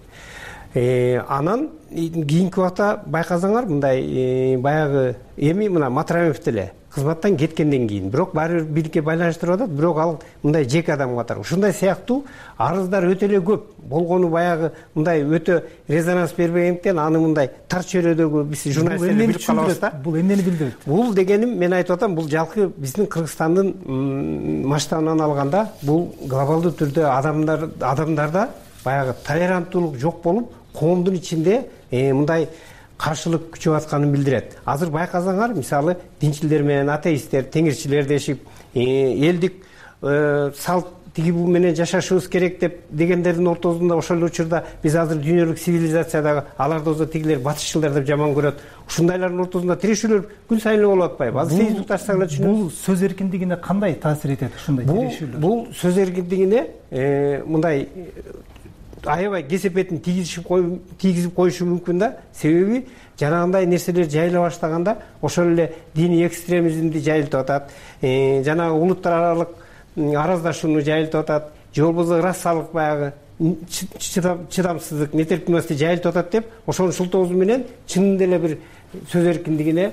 Анан кийинки убакта байкасаңар, мындай баягы эми мына Матраимов деле кызматтан кеткенден кийин, бирок баары бир бийликке байланыштырып атат, бирок ал мындай жеке адам катары. Ушундай сыяктуу арыздар өтө эле көп болгону баягы мындай өтө резонанс бербегендиктен аны мындай тар чөйрөдөгү биз журналисттер билип калабыз да. Бул эмнени билдирет? Бул дегеним, мен айтып атам, бул жалпы биздин Кыргызстандын масштабынан алганда бул глобалдуу түрдө адамдарда баягы толеранттуулук жок болуп, коомдун ичинде мындай каршылык күчөп атканын билдирет. Азыр байкасаңар, мисалы динчилер менен атеисттер, теңирчилер дешип, элдик салт тиги бул менен жашашыбыз керек деп дегендердин ортосунда ошол учурда биз азыр дүйнөлүк цивилизациядагы аларды болсо тигилер батышчылар деп жаман көрөт. Ушундайлардын ортосунда тирешүүлөр күн сайын эле болуп атпайбы? Азыр Facebook тартсак эле түшүнөбүз. Бул сөз эркиндигине кандай таасир этет ушундай тирешүүлөр? Бул сөз эркиндигине мындай аябай кесепетин тийгизип коюшу мүмкүн да. Себеби жанагындай нерселер жайыла баштаганда ошол эле диний экстремизмди жайылтып атат, жанагы улуттар аралык араздашууну жайылтып атат, же болбосо расалык баягы чыдамсыздык, нетерпимдүүлүк жайылып атат деп ошонун шылтоосу менен чынында эле бир сөз эркиндигине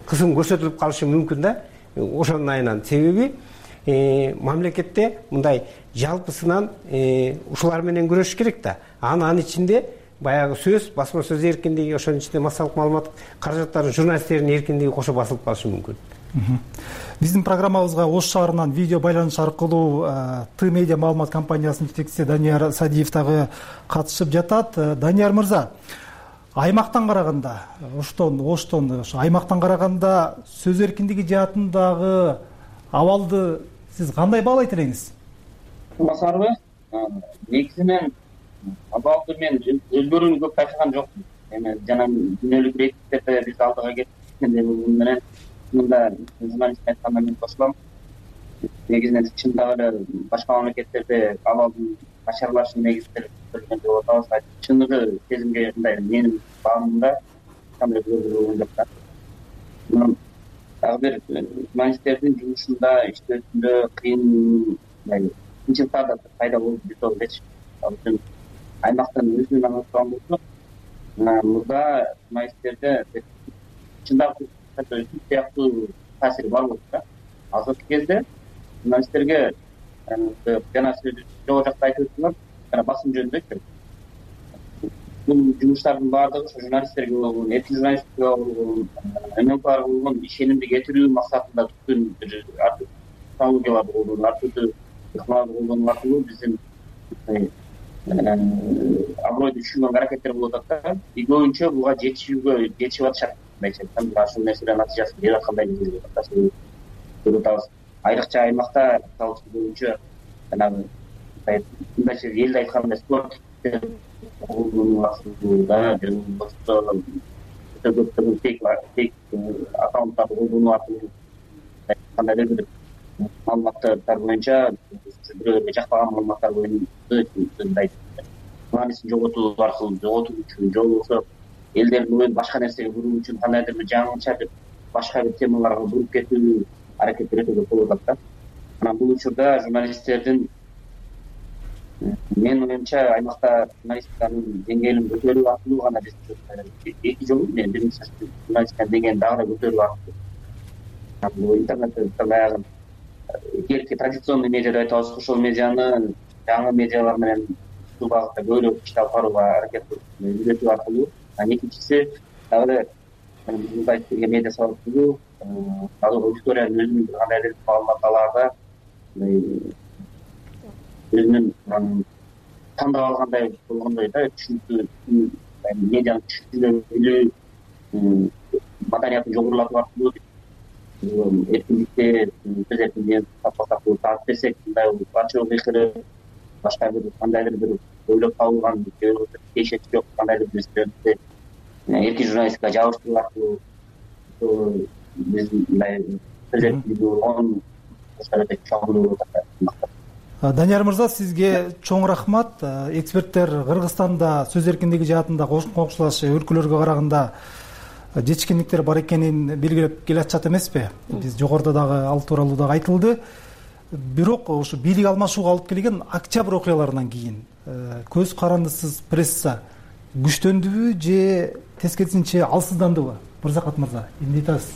кысым көрсөтүлүп калышы мүмкүн да. Ошонун айынан себеби мамлекетте мындай жалпысынан ушулар менен күрөшүш керек да. Анын ичинде баягы сөз, басма сөз эркиндиги, ошонун ичинде массалык маалымат каражаттарынын, журналисттердин эркиндиги кошо басылып калышы мүмкүн. Биздин программабызга Ош шаарынан видео байланыш аркылуу Т медиа маалымат компаниясынын жетекчиси Данияр Садиев дагы катышып жатат. Данияр мырза, аймактан караганда, Оштон ошо аймактан караганда сөз эркиндиги жаатындагы абалды сиз кандай баалайт элеңиз? Басарбы? Негизинен абалды мен өзгөрүүнү көп байкаган жокмун. Эми жана дүйнөлүк рейтингтерде биз алдыга кеткендей менен мында журналист айтканда мен кошулам. Негизинен чындап эле башка мамлекеттерде абалдын начарлашын негиздер көргөн деп атабыз. Чыныгы сезимге мындай менин баамымда кандай өзгөрүү жок да. Дагы бир журналисттердин жумушунда, иштөөсүндө кыйын кыйынчылыктар да пайда болуп жатат. Ал үчүн аймактан өзүнүн аңлашкан болсо, мурда журналисттерде чындап сыяктуу таасири бар болчу да. Азыркы кезде журналисттерге жана сиз жогору жакта айтып өттүңүз, жана басым жөнүндө бул жумуштардын баардыгы ошо журналисттерге болгон, эркин журналистикага болгон, ММКга болгон ишенимди кетирүү максатында түзүлгөн бир технологияларды колдонуп, ар түрдүү ыкмаларды колдонуу аркылуу биздин абройду түшүргөн аракеттер болуп атат да. Көбүнчө буга жетишип атышат. Ушул нерселер натыйжасын берип аткандай көрүп атабыз. Айрыкча аймакта көбүнчө жанагы мындайча элде айтканда спорт аккаунттарды колдонуу аркылуу кандайдыр бир маалыматтар боюнча бирөөлөргө жакпаган маалыматтар боюнча журналистин жоготуу аркылуу жоготуу үчүн же болбосо элдердин оюн башка нерсеге буруу үчүн кандайдыр бир жаңыча бир башка бир темаларга буруп кетүү аракеттери өтө көп болуп атат да. Анан бул учурда журналисттердин менин оюмча аймакта журналистиканын деңгээлин көтөрүү аркылуу гана биз эки жолу биринчи журналистиканын деңгээлин дагы да көтөрүү аркылуу интернетте баягы керки традиционный медиа деп айтабыз, ошол медианы жаңы медиалар менен ушул багытта көбүрөөк ишти алып барууга аракет кылып үйрөтүү аркылуу, экинчиси дагы эле медиа сабактуу аудиториянын өзүнүн кандайдыр маалымат алаарда өзүнүн тандап алгандай болгондой да, түшүнүктүү медианы түшүнүп билүү, маданиятын жогорулатуу аркылуу эркиндикти сөз эркиндигин сактасак болот. Таап берсек мындай ачык ыйкырып, башка бир кандайдыр бир ойлоп табылган кешет жок кандайдыр бир нерселерди эркин журналистикага жабыштыруу аркылуу биз мындай сөз эркиндиги болгон өтө чоң болуп атат. Данияр мырза, сизге чоң рахмат. Эксперттер Кыргызстанда сөз эркиндиги жаатында коңшулаш өлкөлөргө караганда жетишкендиктер бар экенин белгилеп келатышат эмеспи? Биз жогоруда дагы ал тууралуу дагы айтылды. Бирок ошо бийлик алмашууга алып келген октябрь окуяларынан кийин көз карандысыз пресса күчтөндүбү же тескерисинче алсыздандыбы? Мырзакат мырза, эмне айтасыз?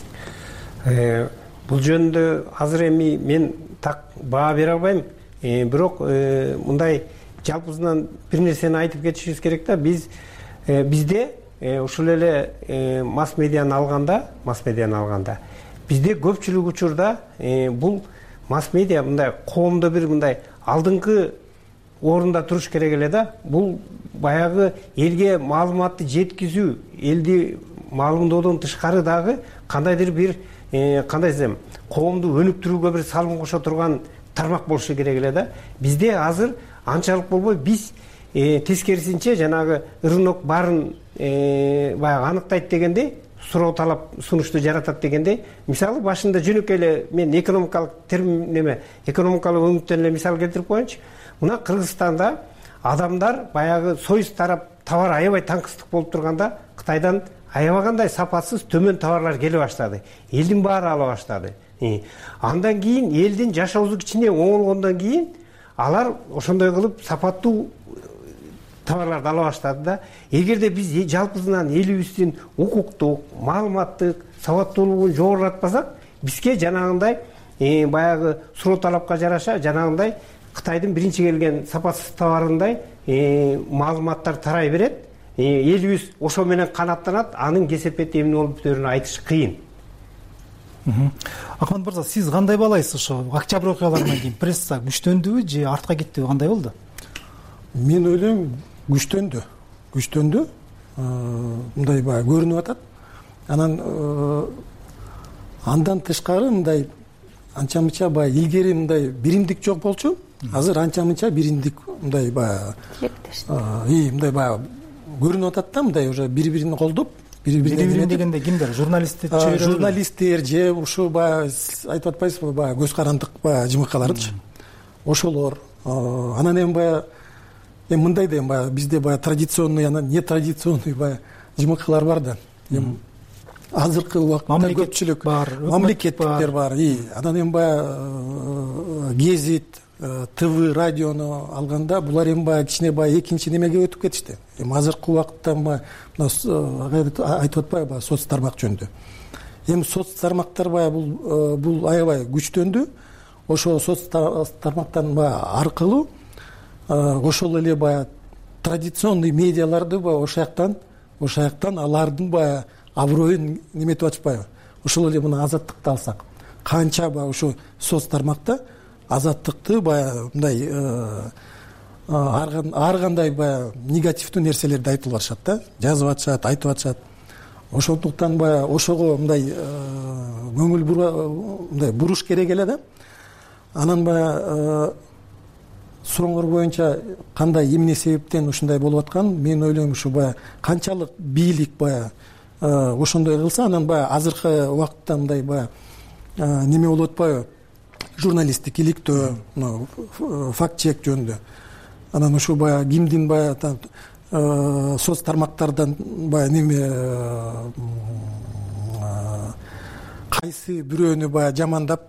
Бул жөнүндө азыр эми мен так баа бере албайм. Бирок мындай жалпысынан бир нерсени айтып кетишибиз керек да. Бизде ушул эле масс медианы алганда бизде көпчүлүк учурда бул масс медиа мындай коомдо бир мындай алдыңкы орунда туруш керек эле да. Бул баягы элге маалыматты жеткизүү, элди маалымдоодон тышкары дагы кандайдыр бир кандай десем, коомду өнүктүрүүгө бир салым кошо турган тармак болушу керек эле да. Бизде азыр анчалык болбой, биз тескерисинче жанагы рынок баарын баягы аныктайт дегендей, суроо талап сунушту жаратат дегендей. Мисалы башында жөнөкөй эле мен экономикалык экономикалык өңүттөн эле мисал келтирип коеюнчу. Мына Кыргызстанда адамдар баягы союз тарап товар аябай таңкыстык болуп турганда Кытайдан аябагандай сапасыз төмөн товарлар келе баштады. Элдин баары ала баштады. Андан кийин элдин жашоосу кичине оңолгондон кийин алар ошондой кылып сапаттуу товарларды ала баштады да. Эгерде биз жалпысынан элибиздин укуктук, маалыматтык сабаттуулугун жогорулатпасак, бизге жанагындай баягы суроо талапка жараша жанагындай Кытайдын биринчи келген сапасыз товарындай маалыматтар тарай берет. Элибиз ошо менен канаттанат, анын кесепети эмне болуп бүтөөрүн айтыш кыйын. Акмат мырза, сиз кандай баалайсыз ошо Октябрь окуяларынан кийин пресса күчтөндүбү же артка кеттиби, кандай болду? Мен ойлойм, күчтөндү. Мындай баягы көрүнүп атат. Андан тышкары мындай анча-мынча баягы илгери мындай биримдик жок болчу. Азыр анча-мынча биримдик мындай баягы мындай баягы көрүнүп атат да, мындай уже бири-бирин колдоп, бири-бирин дегенде кимдер? Журналисттер же ушу баягы айтып атпайсызбы, баягы көз карандык баягы жымыкаларчы. Ошолор. Анан эми баягы мындай да баягы бизде баягы традиционный, анан нетрадиционный баягы жымыкалар бар да. Эми азыркы убакытта көпчүлүк мамлекеттиктер бар. Анан эми баягы гезит, ТВ, радиону алганда булар эми баягы кичине баягы экинчи немеге өтүп кетишти. Эми азыркы убакытта айтып атпайбы баягы соц тармак жөнүндө. Эми соц тармактар баягы бул аябай күчтөндү. Ошо соц тармактан баягы аркылуу ошол эле баягы традиционный медиаларды баягы ошо жактан алардын баягы аброюн неметип атышпайбы. Ошол эле мына Азаттыкты алсак, канча баягы ошо соц тармакта Азаттыкты баягы мындай ар кандай баягы негативдүү нерселерди айтылып атышат да, жазып атышат, айтып атышат. Ошондуктан баягы ошого мындай көңүл буруш керек эле да. Анан баягы сурооңор боюнча кандай эмне себептен ушундай болуп аткан, мен ойлойм ушу баягы канчалык бийлик баягы ошондой кылса, анан баягы азыркы убакытта мындай баягы неме болуп атпайбы, журналисттик иликтөө, факт чек жөнүндө. Анан ушу баягы кимдин баягы соц тармактардан баягы неме кайсы бирөөнү баягы жамандап,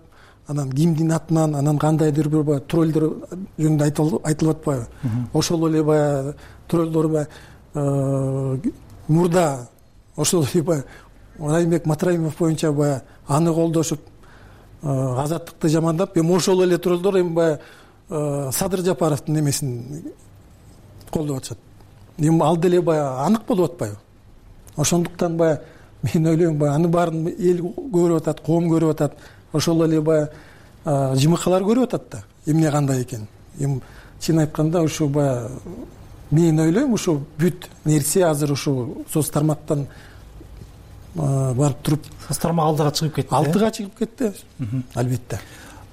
анан кимдин атынан, анан кандайдыр бир баягы троллдор жөнүндө айтылып атпайбы. Ошол эле баягы троллдор баягы мурда ошол эле баягы Райымбек Матраимов боюнча баягы аны колдошуп Азаттыкты жамандап, эми ошол эле троллдор эми баягы Садыр Жапаровдун немесин колдоп атышат. Эми ал деле баягы анык болуп атпайбы. Ошондуктан баягы мен ойлойм, баягы аны баарын эл көрүп атат, коом көрүп атат. Ошол эле баягы жымыкалар көрүп атат да, эмне кандай экен. Эми чын айтканда ушу баягы мен ойлойм, ушу бүт нерсе азыр ушу соц тармактан барып туруп, соц тармак алдыга чыгып кетти. Алдыга чыгып кетти, албетте.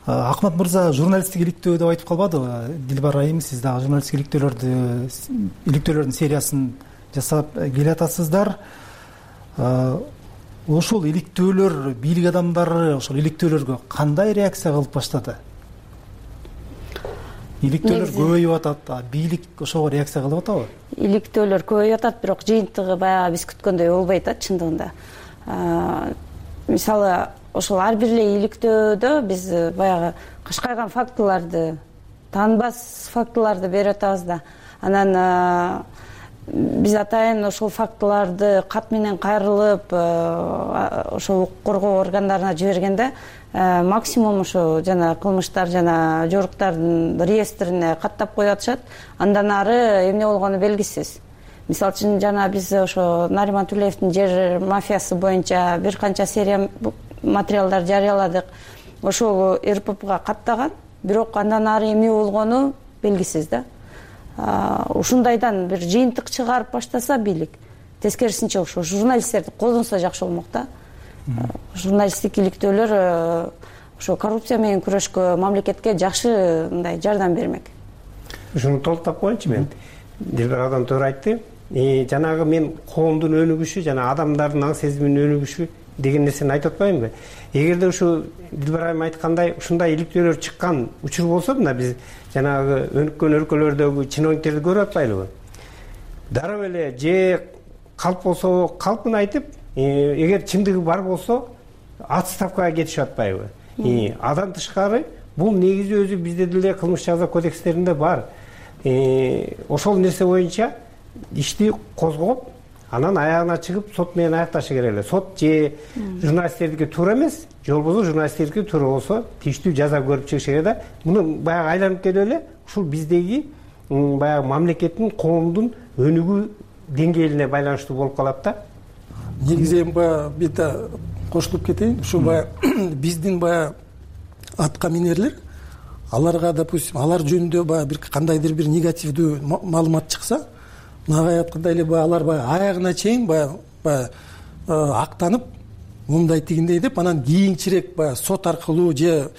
Акмат мырза, журналисттик иликтөө деп айтып калбадыбы? Дилбар айым, сиз дагы журналисттик иликтөөлөрдүн сериясын жасап келатасыздар. Ошол иликтөөлөр, бийлик адамдары ошол иликтөөлөргө кандай реакция кылып баштады? Иликтөөлөр көбөйүп атат, бийлик ошого реакция кылып атабы? Иликтөөлөр көбөйүп атат, бирок жыйынтыгы баягы биз күткөндөй болбой атат чындыгында. Мисалы, ошол ар бир эле иликтөөдө биз баягы кашкайган фактыларды, таанбас фактыларды берип атабыз да. Анан биз атайын ошол фактыларды кат менен кайрылып, ошол укук коргоо органдарына жибергенде максимум ошо жана кылмыштар жана жоруктардын реестрине каттап коюп атышат. Андан ары эмне болгону белгисиз. Мисалы үчүн жана биз ошо Нариман Тулеевдин жер мафиясы боюнча бир канча серия материалдар жарыяладык. Ошол РППга каттаган, бирок андан ары эмне болгону белгисиз да. Ушундайдан бир жыйынтык чыгарып баштаса бийлик, тескерисинче ошо журналисттерди колдонсо жакшы болмок да. Журналисттик иликтөөлөр ошо коррупция менен күрөшкө, мамлекетке жакшы мындай жардам бермек. Ушуну толуктап коеюнчу мен. Дилбар адам туура айтты. Жанагы мен коомдун өнүгүшү жана адамдардын аң сезиминин өнүгүшү деген нерсени айтып атпаймынбы? Эгерде ушу Дилбар айым айткандай ушундай иликтөөлөр чыккан учур болсо да, биз жанагы өнүккөн өлкөлөрдөгү чиновниктерди көрүп атпайлыбы? Дароо эле же калп болсо калпын айтып, эгер чындыгы бар болсо отставкага кетишип атпайбы? Андан тышкары бул негизи өзү бизде деле кылмыш жаза кодекстеринде бар. Ошол нерсе боюнча ишти козгоп, анан аягына чыгып сот менен аякташы керек эле. Сот же журналисттердики туура эмес, же болбосо журналисттердики туура болсо тийиштүү жаза көрүп чыгыш керек да. Муну баягы айланып келип эле ушул биздеги баягы мамлекеттин, коомдун өнүгүү деңгээлине байланыштуу болуп калат да. Негизи эми баягы бите кошулуп кетейин. Ушу баягы биздин баягы атка минерлер, аларга допустим, алар жөнүндө баягы бир кандайдыр бир негативдүү маалымат чыкса, мынага айткандай эле баягы алар баягы аягына чейин баягы актанып, мындай тигиндей деп, анан кийинчерээк баягы сот аркылуу же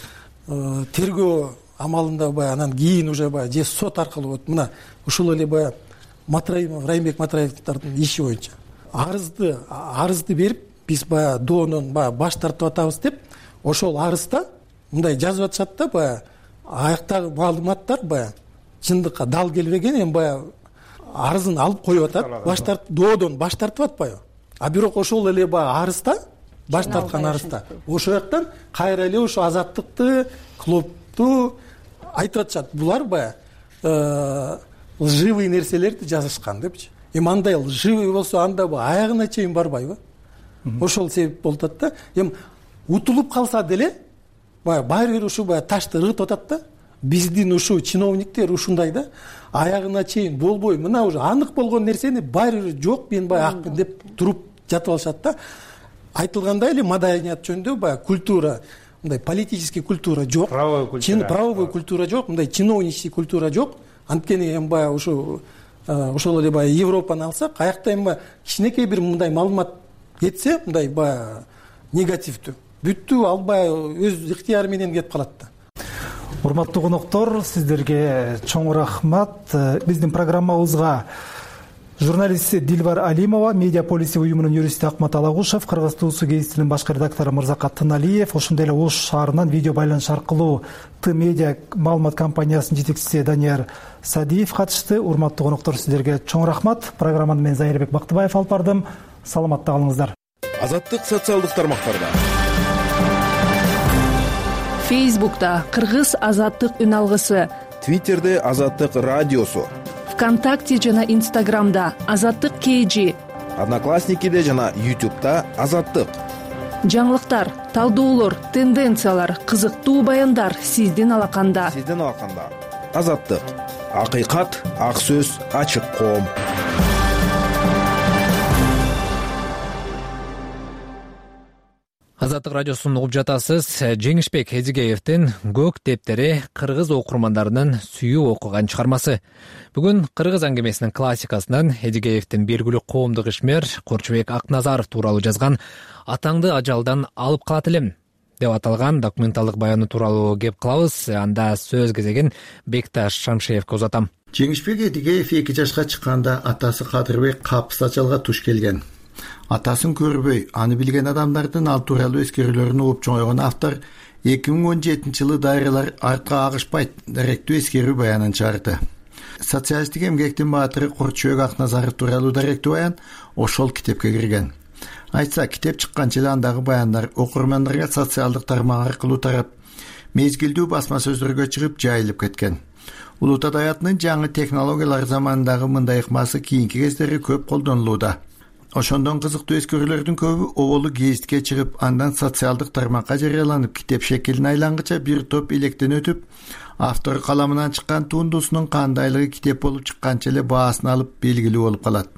тергөө амалында баягы анан кийин уже баягы же сот аркылуу вот мына ушул эле баягы Райымбек Матраевдин иши боюнча арызды берип, биз баягы доонон баягы баш тартып атабыз деп, ошол арызда мындай жазып атышат да, баягы аяктагы маалыматтар баягы чындыкка дал келбеген, эми баягы арызын алып коюп атат, доодон баш тартып атпайбы? А бирок ошол эле баягы арызда, баш тарткан арызда ошол жактан кайра эле ошо азаттыкты, клубту айтып атышат. Булар баягы лживый нерселерди жазышкан депчи. Эми андай лживый болсо анда аягына чейин барбайбы? Ошол себеп болуп атат да. Эми утулуп калса деле баягы баары бир ушу баягы ташты ыргытып атат да. Биздин ушу чиновниктер ушундай да, аягына чейин болбой, мына уже анык болгон нерсени баары бир жок, мен баягы акмын деп туруп жатып алышат да. Айтылгандай эле маданият жөнүндө баягы культура, мындай политический культура жок, правовой культура жок, мындай чиновничий культура жок. Анткени эми баягы ошол эле баягы Европаны алсак, аякта эми кичинекей бир мындай маалымат кетсе, мындай баягы негативдүү, бүттү ал баягы өз ыктыяры менен кетип калат да. Урматтуу коноктор, сиздерге чоң рахмат. Биздин программабызга журналист Дилбар Алимова, Медиа Полиси уюмунун юристи Акмат Алагушев, Кыргыз Туусу гезитинин башкы редактору Мырзакат Тыналиев, ошондой эле Ош шаарынан видео байланыш аркылуу Т медиа маалымат компаниясынын жетекчиси Данияр Садиев катышты. Урматтуу коноктор, сиздерге чоң рахмат. Программаны мен Зайырбек Бактыбаев алып бардым. Саламатта калыңыздар. Азаттык социалдык тармактарда. Фейсбукта Кыргыз азаттык үн алгысы, Твиттерде Азаттык радиосу, ВКонтакте жана Инстаграмда Азаттык KG, Одноклассникиде жана YouTube'да Азаттык. Жаңылыктар, талдоолор, тенденциялар, кызыктуу баяндар сиздин алаканда. Азаттык. Акыйкат, ак сөз, ачык коом. Азаттык радиосун угуп жатасыз. Жеңишбек Эзигеевдин Көк тептери кыргыз окурмандарынын сүйүп окуган чыгармасы. Бүгүн кыргыз аңгемесинин классикасынан Эзигеевдин белгилүү коомдук ишмер Корчубек Акназаров тууралуу жазган «Атаңды ажалдан алып калат элем» деп аталган документалдык баяны тууралуу кеп кылабыз. Анда сөз кезегин Бекташ Шамшеевке узатам. Жеңишбек Эзигеев 2 жашка чыкканда атасы Кадырбек Капыс ачалга туш келген. Атасын көрбөй, аны билген адамдардын ал тууралуу эскерүүлөрүн угуп чоңойгон автор 2017-жылы дайралар артка агышпайт даректүү эскерүү баянын чыгарды. Социалисттик эмгектин баатыры Корчубек Акназаров тууралуу даректүү баян ошол китепке кирген. Айтса, китеп чыкканча эле андагы баяндар окурмандарга социалдык тармак аркылуу тарап, мезгилдүү басма сөздөргө чыгып жайылып кеткен. Улут адаятынын жаңы технологиялар заманындагы мындай ыкмасы кийинки кездери көп колдонулууда. Ошондон кызыктуу эскерүүлөрдүн көбү оболу гезитке чыгып, андан социалдык тармакка жарыяланып, китеп шекилине айлангыча бир топ илектен өтүп, автор каламынан чыккан тундусунун кандайлыгы китеп болуп чыкканча эле баасын алып белгилүү болуп калат.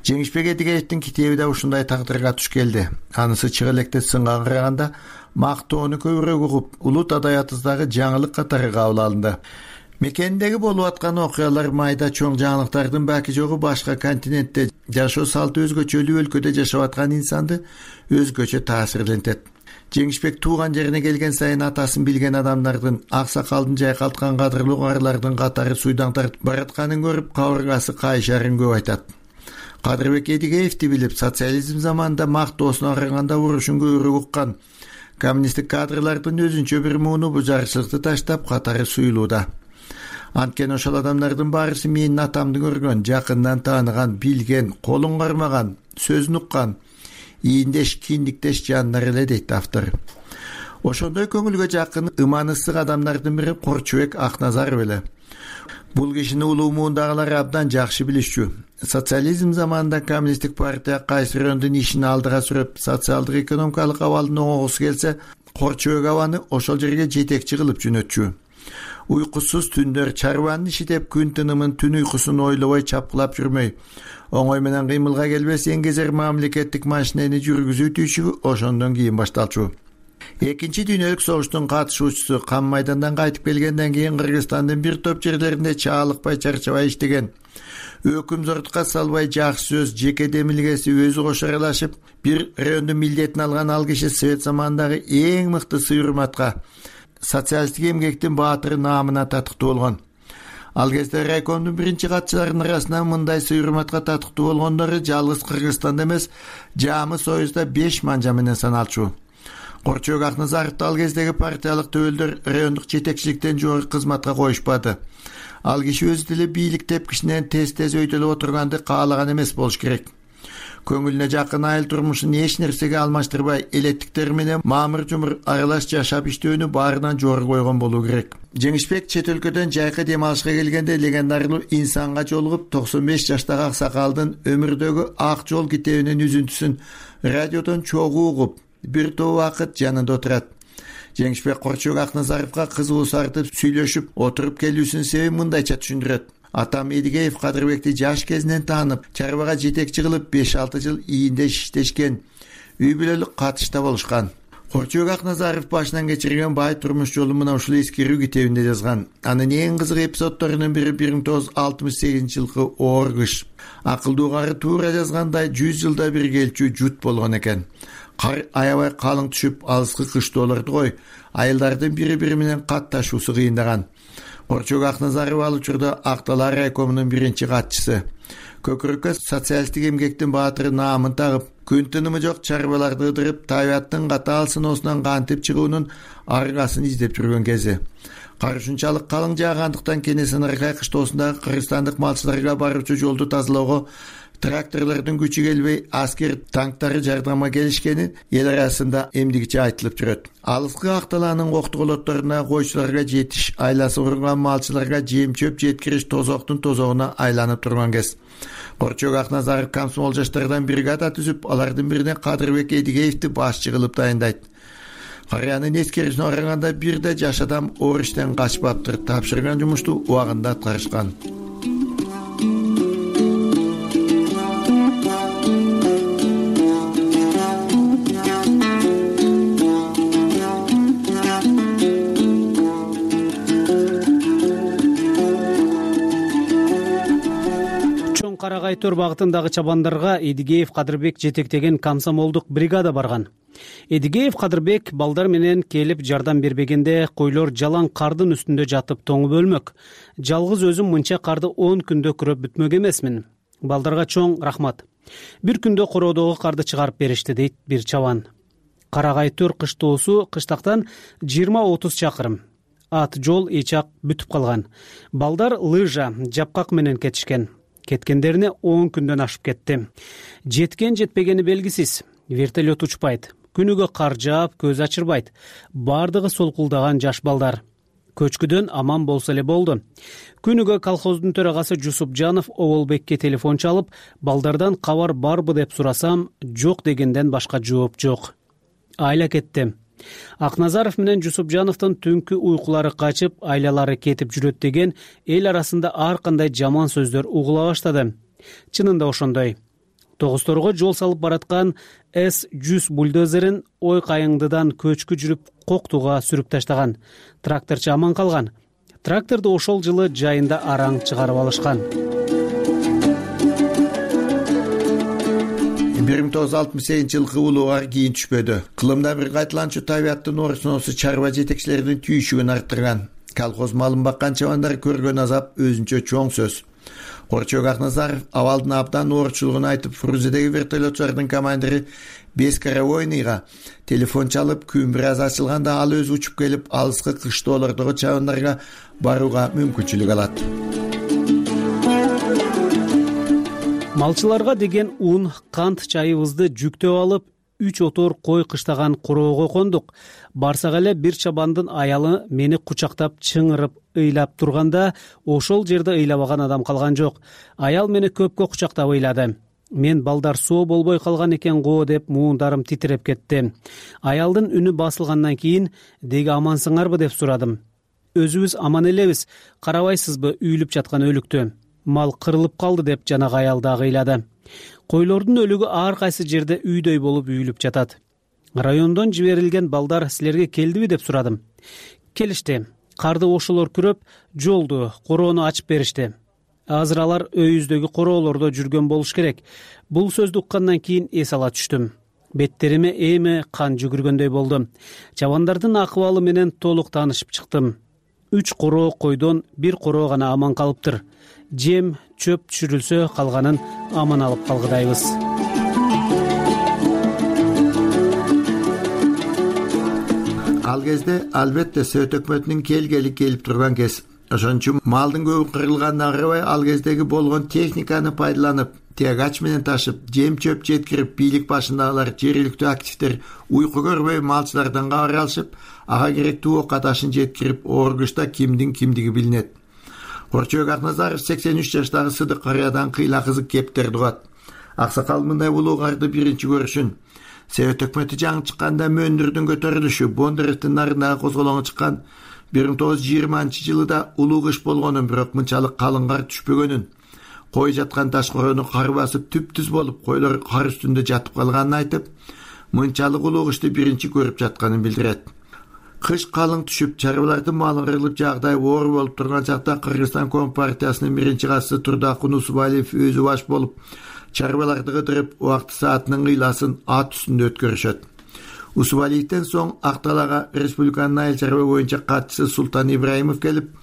Жеңишбек Эдигеевдин китеби да ушундай тагдырга туш келди. Анысы чыга электе сынга караганда мактоону көбүрөөк угуп, улут адаятыбыздагы жаңылык катары кабыл алынды. Мекендеги болуп аткан окуялар майда чоң жаңылыктардын баки жогу башка континентте жашоо салты өзгөчөлүү өлкөдө жашап аткан инсанды өзгөчө таасирлентет. Жеңишбек тууган жерине келген сайын атасын билген адамдардын, аксакалдын жайкалткан кадырлуу каарылардын катары суйдан тартып баратканын көрүп, кабыргасы кайшарын көп айтат. Кадырбек Эдигеевди билип, социализм заманында мактоосуна караганда урушун көбүрөөк уккан коммунисттик кадрлардын өзүнчө бир мууну бу жарчылыкты таштап катары суюлууда. Анткени ошол адамдардын баарысы менин атамды көргөн, жакындан тааныган, билген, колун кармаган, сөзүн уккан, ийиндеш, киндиктеш жандар эле дейт автор. Ошондой көңүлгө жакын ыман ысык адамдардын бири Корчубек Акназаров эле. Бул кишини улуу муундагылар абдан жакшы билишчү. Социализм заманында коммунисттик партия кайсы райондун ишин алдыга сүрөп, социалдык экономикалык абалдын оңгосу келсе, Корчубек абаны ошол жерге жетекчи кылып жөнөтчү. Уйкусуз түндөр чарбанын иши деп күн тынымын, түн уйкусун ойлобой чапкылап жүрмөй, оңой менен кыймылга келбес эңгезер мамлекеттик машинени жүргүзүү түйшүгү ошондон кийин башталчу. Экинчи дүйнөлүк согуштун катышуучусу Кам майдандан кайтып келгенден кийин Кыргызстандын бир топ жерлеринде чаалыкпай, чарчабай иштеген. Өкүмзордукка салбай жакшы сөз, жеке демилгеси өзү кошо аралашып, бир райондун милдетин алган ал киши Совет заманындагы эң мыкты сый-урматка, социалисттик эмгектин баатыры наамына татыктуу болгон. Ал кезде райкомдун биринчи катчыларынын арасынан мындай сый-урматка татыктуу болгондору жалгыз Кыргызстанда эмес, Жамы Союзда 5 манжа менен саналчу. Корчубек Акназаровду ал кездеги партиялык төбөлдөр райондук жетекчиликтен жогорку кызматка коюшпады. Ал киши өзү деле бийлик тепкичинен тез өйдөлүп отурганды каалаган эмес болуш керек. Көңүлүнө жакын айыл турмушун эч нерсеге алмаштырбай, элеттиктер менен маамыр-жумур аралаш жашап иштөөнү баарынан жогору койгон болуу керек. Жеңишбек чет өлкөдөн жайкы дем алышка келгенде легендарлуу инсанга жолугуп 95 жаштагы аксакалдын өмүрдөгү ак жол китебинин үзүнтүсүн радиодон чогуу угуп, бир топ убакыт жанында отурат. Жеңишбек Корчубек Акназаровго кызыгуу сартып сүйлөшүп отуруп келүүсүнүн себебин мындайча түшүндүрөт. Атам Эдигеев Кадырбекти жаш кезинен таанып, чарбага жетекчи кылып 5-6 жыл ийинде иштешкен. Үй бүлөлүк катышта болушкан. Корчубек Акназаров башынан кечирген бай турмуш жолун мына ушул эскерүү китебинде жазган. Анын эң кызык эпизоддорунун бири 1968-жылкы оор кыш. Акылдуу кары туура жазгандай 100 жылда бир келчү жут болгон экен. Кар аябай калың түшүп, алыскы кыштоолорду кой, айылдардын бири-бири менен катташуусу кыйындаган. Корчубек Акназаров ал учурда Ак Дала райкомунун биринчи катчысы. Көкүрөккө социалисттик эмгектин баатыры наамын тагып, күн тынымы жок чарбаларды ыдырып, табияттын катаал сыноосунан кантип чыгуунун аргасын издеп жүргөн кези. Кар ушунчалык калың жаагандыктан Кенесары кыштоосундагы кыргызстандык малчыларга баруучу жолду тазалоого тракторлордун күчү келбей, аскер танктары жардамга келишкени эл арасында эмдигиче айтылып жүрөт. Алыскы Ак Даланын коктуголотторуна койчуларга жетиш, айласы курган малчыларга жем-чөп жеткириш тозоктун тозогуна айланып турган кез. Корчубек Акназаров комсомол жаштардан бригада түзүп, алардын бирине Кадырбек Эдигеевди башчы кылып дайындайт. Карыянын эскерүүсүнө караганда бир да жаш адам оор иштен качпаптыр, тапшырган жумушту убагында аткарышкан. Карагай төр багытындагы чабандарга Эдигеев Кадырбек жетектеген комсомолдук бригада барган. Эдигеев Кадырбек балдар менен келип жардам бербегенде койлор жалаң кардын үстүндө жатып тоңуп өлмөк. Жалгыз өзүм мынча карды 10 күндө күрөп бүтмөк эмесмин. Балдарга чоң рахмат. Бир күндө короодогу карды чыгарып беришти, дейт бир чабан. Карагай төр кыштоосу кыштактан 20-30 чакырым. Ат жол эчак бүтүп калган. Балдар лыжа, жапкак менен кетишкен. Кеткендерине 10 күндөн ашып кетти. Жеткен жетпегени белгисиз. Вертолет учпайт. Күнүгө кар жаап, көз ачырбайт. Бардыгы солкулдаган жаш балдар. Көчкүдөн аман болсо эле болду. Күнүгө колхоздун төрагасы Жусупжанов Оболбекке телефон чалып, балдардан кабар барбы деп сурасам, жок дегенден башка жооп жок. Айла кетти. Акназаров менен Жусупжановдун түнкү уйкулары качып, айлалары кетип жүрөт деген эл арасында ар кандай жаман сөздөр угула баштады. Чынында ошондой. Тогусторго жол салып бараткан С-100 бульдозерин ой кайыңдыдан көчкү жүрүп коктуга сүрүп таштаган. Тракторчу аман калган. Тракторду ошол жылы жайында араң чыгарып алышкан. 1968-жылкы улууга кийин түшпөдү. Кылымда бир кайталанчу табияттын орусунусу чарба жетекчилеринин түйшүгүн арттырган. Колхоз малын баккан чабандар көргөн азап өзүнчө чоң сөз. Корчубек Акназаров абалдын абдан оорчулугун айтып, Фрузедеги вертолетчулардын командири Бескаравойныйга телефон чалып, күн бир аз ачылганда ал өзү учуп келип, алыскы кыштоолордогу чабандарга барууга мүмкүнчүлүк алат. Малчыларга деген ун, кант чайыбызды жүктөп алып, 3 отор кой кыштаган короого кондук. Барсак эле бир чабандын аялы мени кучактап чыңырып ыйлап турганда ошол жерде ыйлабаган адам калган жок. Аял мени көпкө кучактап ыйлады. Мен балдар соо болбой калган экен го деп муундарым титиреп кетти. Аялдын үнү басылгандан кийин деги амансыңарбы деп сурадым. Өзүбүз аман элебиз, карабайсызбы үйүлүп жаткан өлүктү. Мал кырылып калды деп жанагы аял дагы ыйлады. Койлордун өлүгү ар кайсы жерде үйдөй болуп үйүлүп жатат. Райондон жиберилген балдар силерге келдиби деп сурадым. Келишти. Карды ошолор күрөп, жолду, короону ачып беришти. Азыр алар өйүздөгү короолордо жүргөн болуш керек. Бул сөздү уккандан кийин эс ала түштүм. Беттериме эми кан жүгүргөндөй болду. Чабандардын акыбалы менен толук таанышып чыктым. 3 короо койдон 1 короо гана аман калыптыр. Жем, чөп түшүрүлсө калганын аман алып калгыдайбыз. Ал кезде албетте Совет өкмөтүнүн келгели келип турган кез. Ошон үчүн малдын көбү кырылганына карабай ал кездеги болгон техниканы пайдаланып, тягач менен ташып, жем чөп жеткирип, бийлик башындагылар, жергиликтүү активдер уйку көрбөй малчылардан кабар алышып, ага керектүү ока ташын жеткирип, оргучта кимдин кимдиги билинет. Корчобек Акназаров 83 жаштагы Сыдык Карыядан кыйла кызык кептерди угат. Аксакал мындай улуугарды биринчи көрүшүн Совет өкмөтү жаңы чыкканда мөндүрдүн көтөрүлүшү, Бондаревдин нарындагы козголоңу чыккан 1920-жылыда улуу кыш болгонун, бирок мынчалык калың кар түшпөгөнүн, кой жаткан таш короону кар басып түп-түз болуп, койлор кар үстүндө жатып калганын айтып, мынчалык улуу кышты биринчи көрүп жатканын билдирет. Кыш калың түшүп, чарбалардын малы кырылып, жагдай оор болуп турган чакта Кыргызстан Компартиясынын биринчи катчысы Турдакун Усубалиев өзү баш болуп, чарбаларды кыдырып, убакыт саатынын кыйласын ат үстүндө өткөрүшөт. Усубалиевден соң Акталага республиканын айыл чарба боюнча катчысы Султан Ибраимов келип,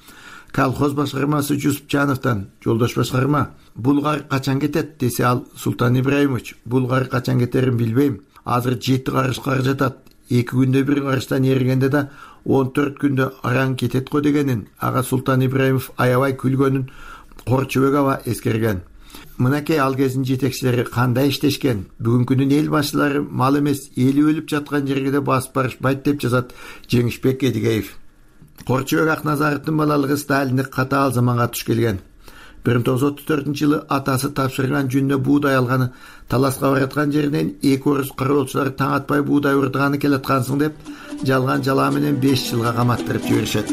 колхоз башкармасы Жусупжановдон: "Жолдош башкарма, бул кар качан кетет?" десе ал: "Султан Ибраимович, бул кар качан кетерин билбейм. Азыр 7 карыш кар жатат. 2 күндө бир карыштан эригенде да 14 күндө араң кетет го" дегенин ага Султан Ибраимов аябай күлгөнүн Корчобек аба эскерген. Мынакей ал кездин жетекчилери кандай иштешкен, бүгүнкүнүн эл башчылары мал эмес, эли өлүп жаткан жерге да басып барышпайт деп жазат Жеңишбек Эдигеев. Корчобек Акназаровдун балалыгы Сталиндик катаал заманга туш келген. 1934-жылы атасы тапшырган жүнүнө буудай алганы, таласка бараткан жеринен 2 орус кароолчулар таң атпай буудай урдаганы келаткансың деп, жалган жалаа менен 5 жылга каматтырып жиберишет.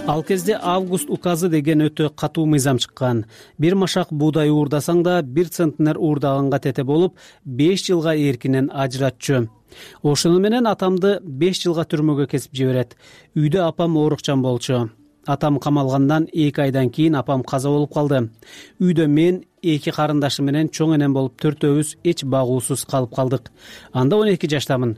Ал кезде август указы деген өтө катуу мыйзам чыккан. Бир машак буудай уурдасаң да 1 центнер уурдаганга тете болуп, 5 жылга эркинен ажыратчу. Ошону менен атамды 5 жылга түрмөгө кесип жиберет. Үйдө апам оорукчан болчу. Атам камалгандан 2 айдан кийин апам каза болуп калды. Үйдө мен 2 карындашым менен чоң энем болуп 4-өөбүз эч багуусуз калып калдык. Анда 12 жаштамын.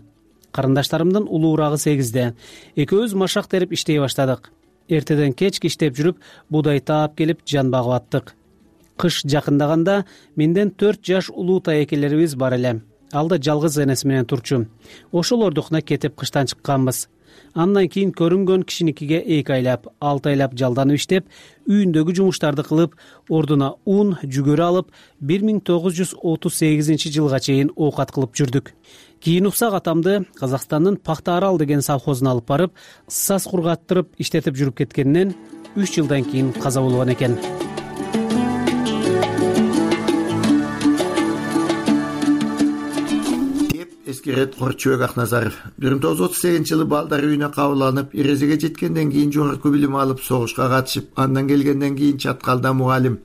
Карындаштарымдын улуурагы 8-де. Экөөбүз машак терип иштей баштадык. Эртеден кечке иштеп жүрүп, буудай таап келип жан багып аттык. Кыш жакындаганда менден 4 жаш улуу таекелерибиз бар эле. Ал да жалгыз энеси менен турчу. Ошолордукуна кетип кыштан чыкканбыз. Андан кийин көрүнгөн кишиникиге 2 айлап, 6 айлап жалданып иштеп, үйүндөгү жумуштарды кылып, ордуна ун, жүгөрү алып, 1938-жылга чейин оокат кылып жүрдүк. Кийин уксак атамды Казакстандын Пахта Арал деген совхозуна алып барып, саз кургаттырып иштетип жүрүп кеткенинен 3 жылдан кийин каза болгон экен. Эскерет Корчобек Акназаров 1938-жылы балдар үйүнө кабыл алынып, эрезеге жеткенден кийин жогорку билим алып, согушка катышып, андан келгенден кийин Чаткалда мугалим,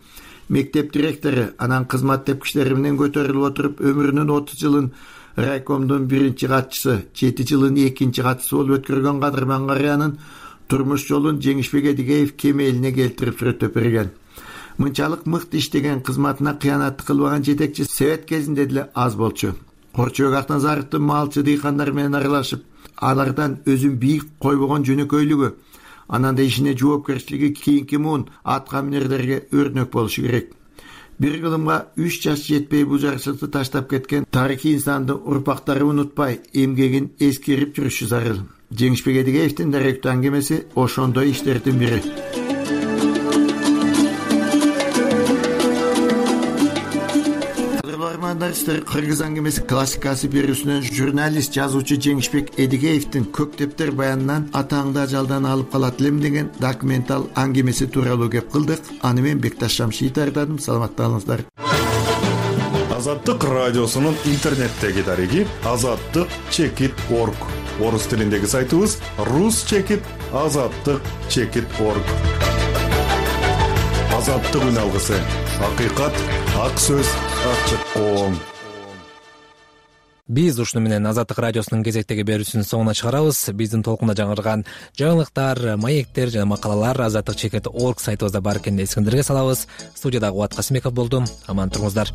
мектеп директору, анан кызмат тепкичтери менен көтөрүлүп отуруп, өмүрүнүн 30 жылын райкомдун 1-чи катчысы, 7 жылын 2-чи катчысы болуп өткөргөн Кадырман Карыянын турмуш жолун Жеңишбек Эдигеев кемелине келтирип сүрөттөп берген. Мынчалык мыкты иштеген, кызматына кыянат кылбаган жетекчи Совет кезинде деле аз болчу. Корчобек Акназаровдун малчы дыйкандар менен аралашып, алардан өзүн бийик койбогон жөнөкөйлүгү, анан да ишине жоопкерчилиги кийинки муун атка минерлерге өрнөк болушу керек. Bir kılımga 3 жаш жетпей bu жарышыкты таштап кеткен тарихи инсанды урпактары унутпай, эмгегин эскерип жүрүшү зарыл. Жеңишбек Эдигеевдин даректүү аңгемеси ошондой иштердин бири. жандырсыздар, кыргыз аңгемеси классикасы берүүсүнөн журналист жазуучу Жеңишбек Эдигеевдин Көктептер баянынан атаңды ажалдан алып калат элем деген документал аңгемеси тууралуу кеп кылдык. Аны мен Бекташ Шамшиев даярдадым. Саламатталыңыздар. Азаттык радиосунун интернеттеги дареги azattik.org. Орус тилиндеги сайтыбыз rus.azattik.org. Азаттык үн алгысы. Акыйкат, ак сөз, ачык коом. Биз ушуну менен Азаттык радиосунун кезектеги берүүсүнүн соңуна чыгарабыз. Биздин толкунда жаңырган жаңылыктар, маектер жана макалалар azattik.org сайтыбызда бар экенин эсиңиздерге салабыз. Студияда Кубат Касымбеков болдум. Аман туруңуздар.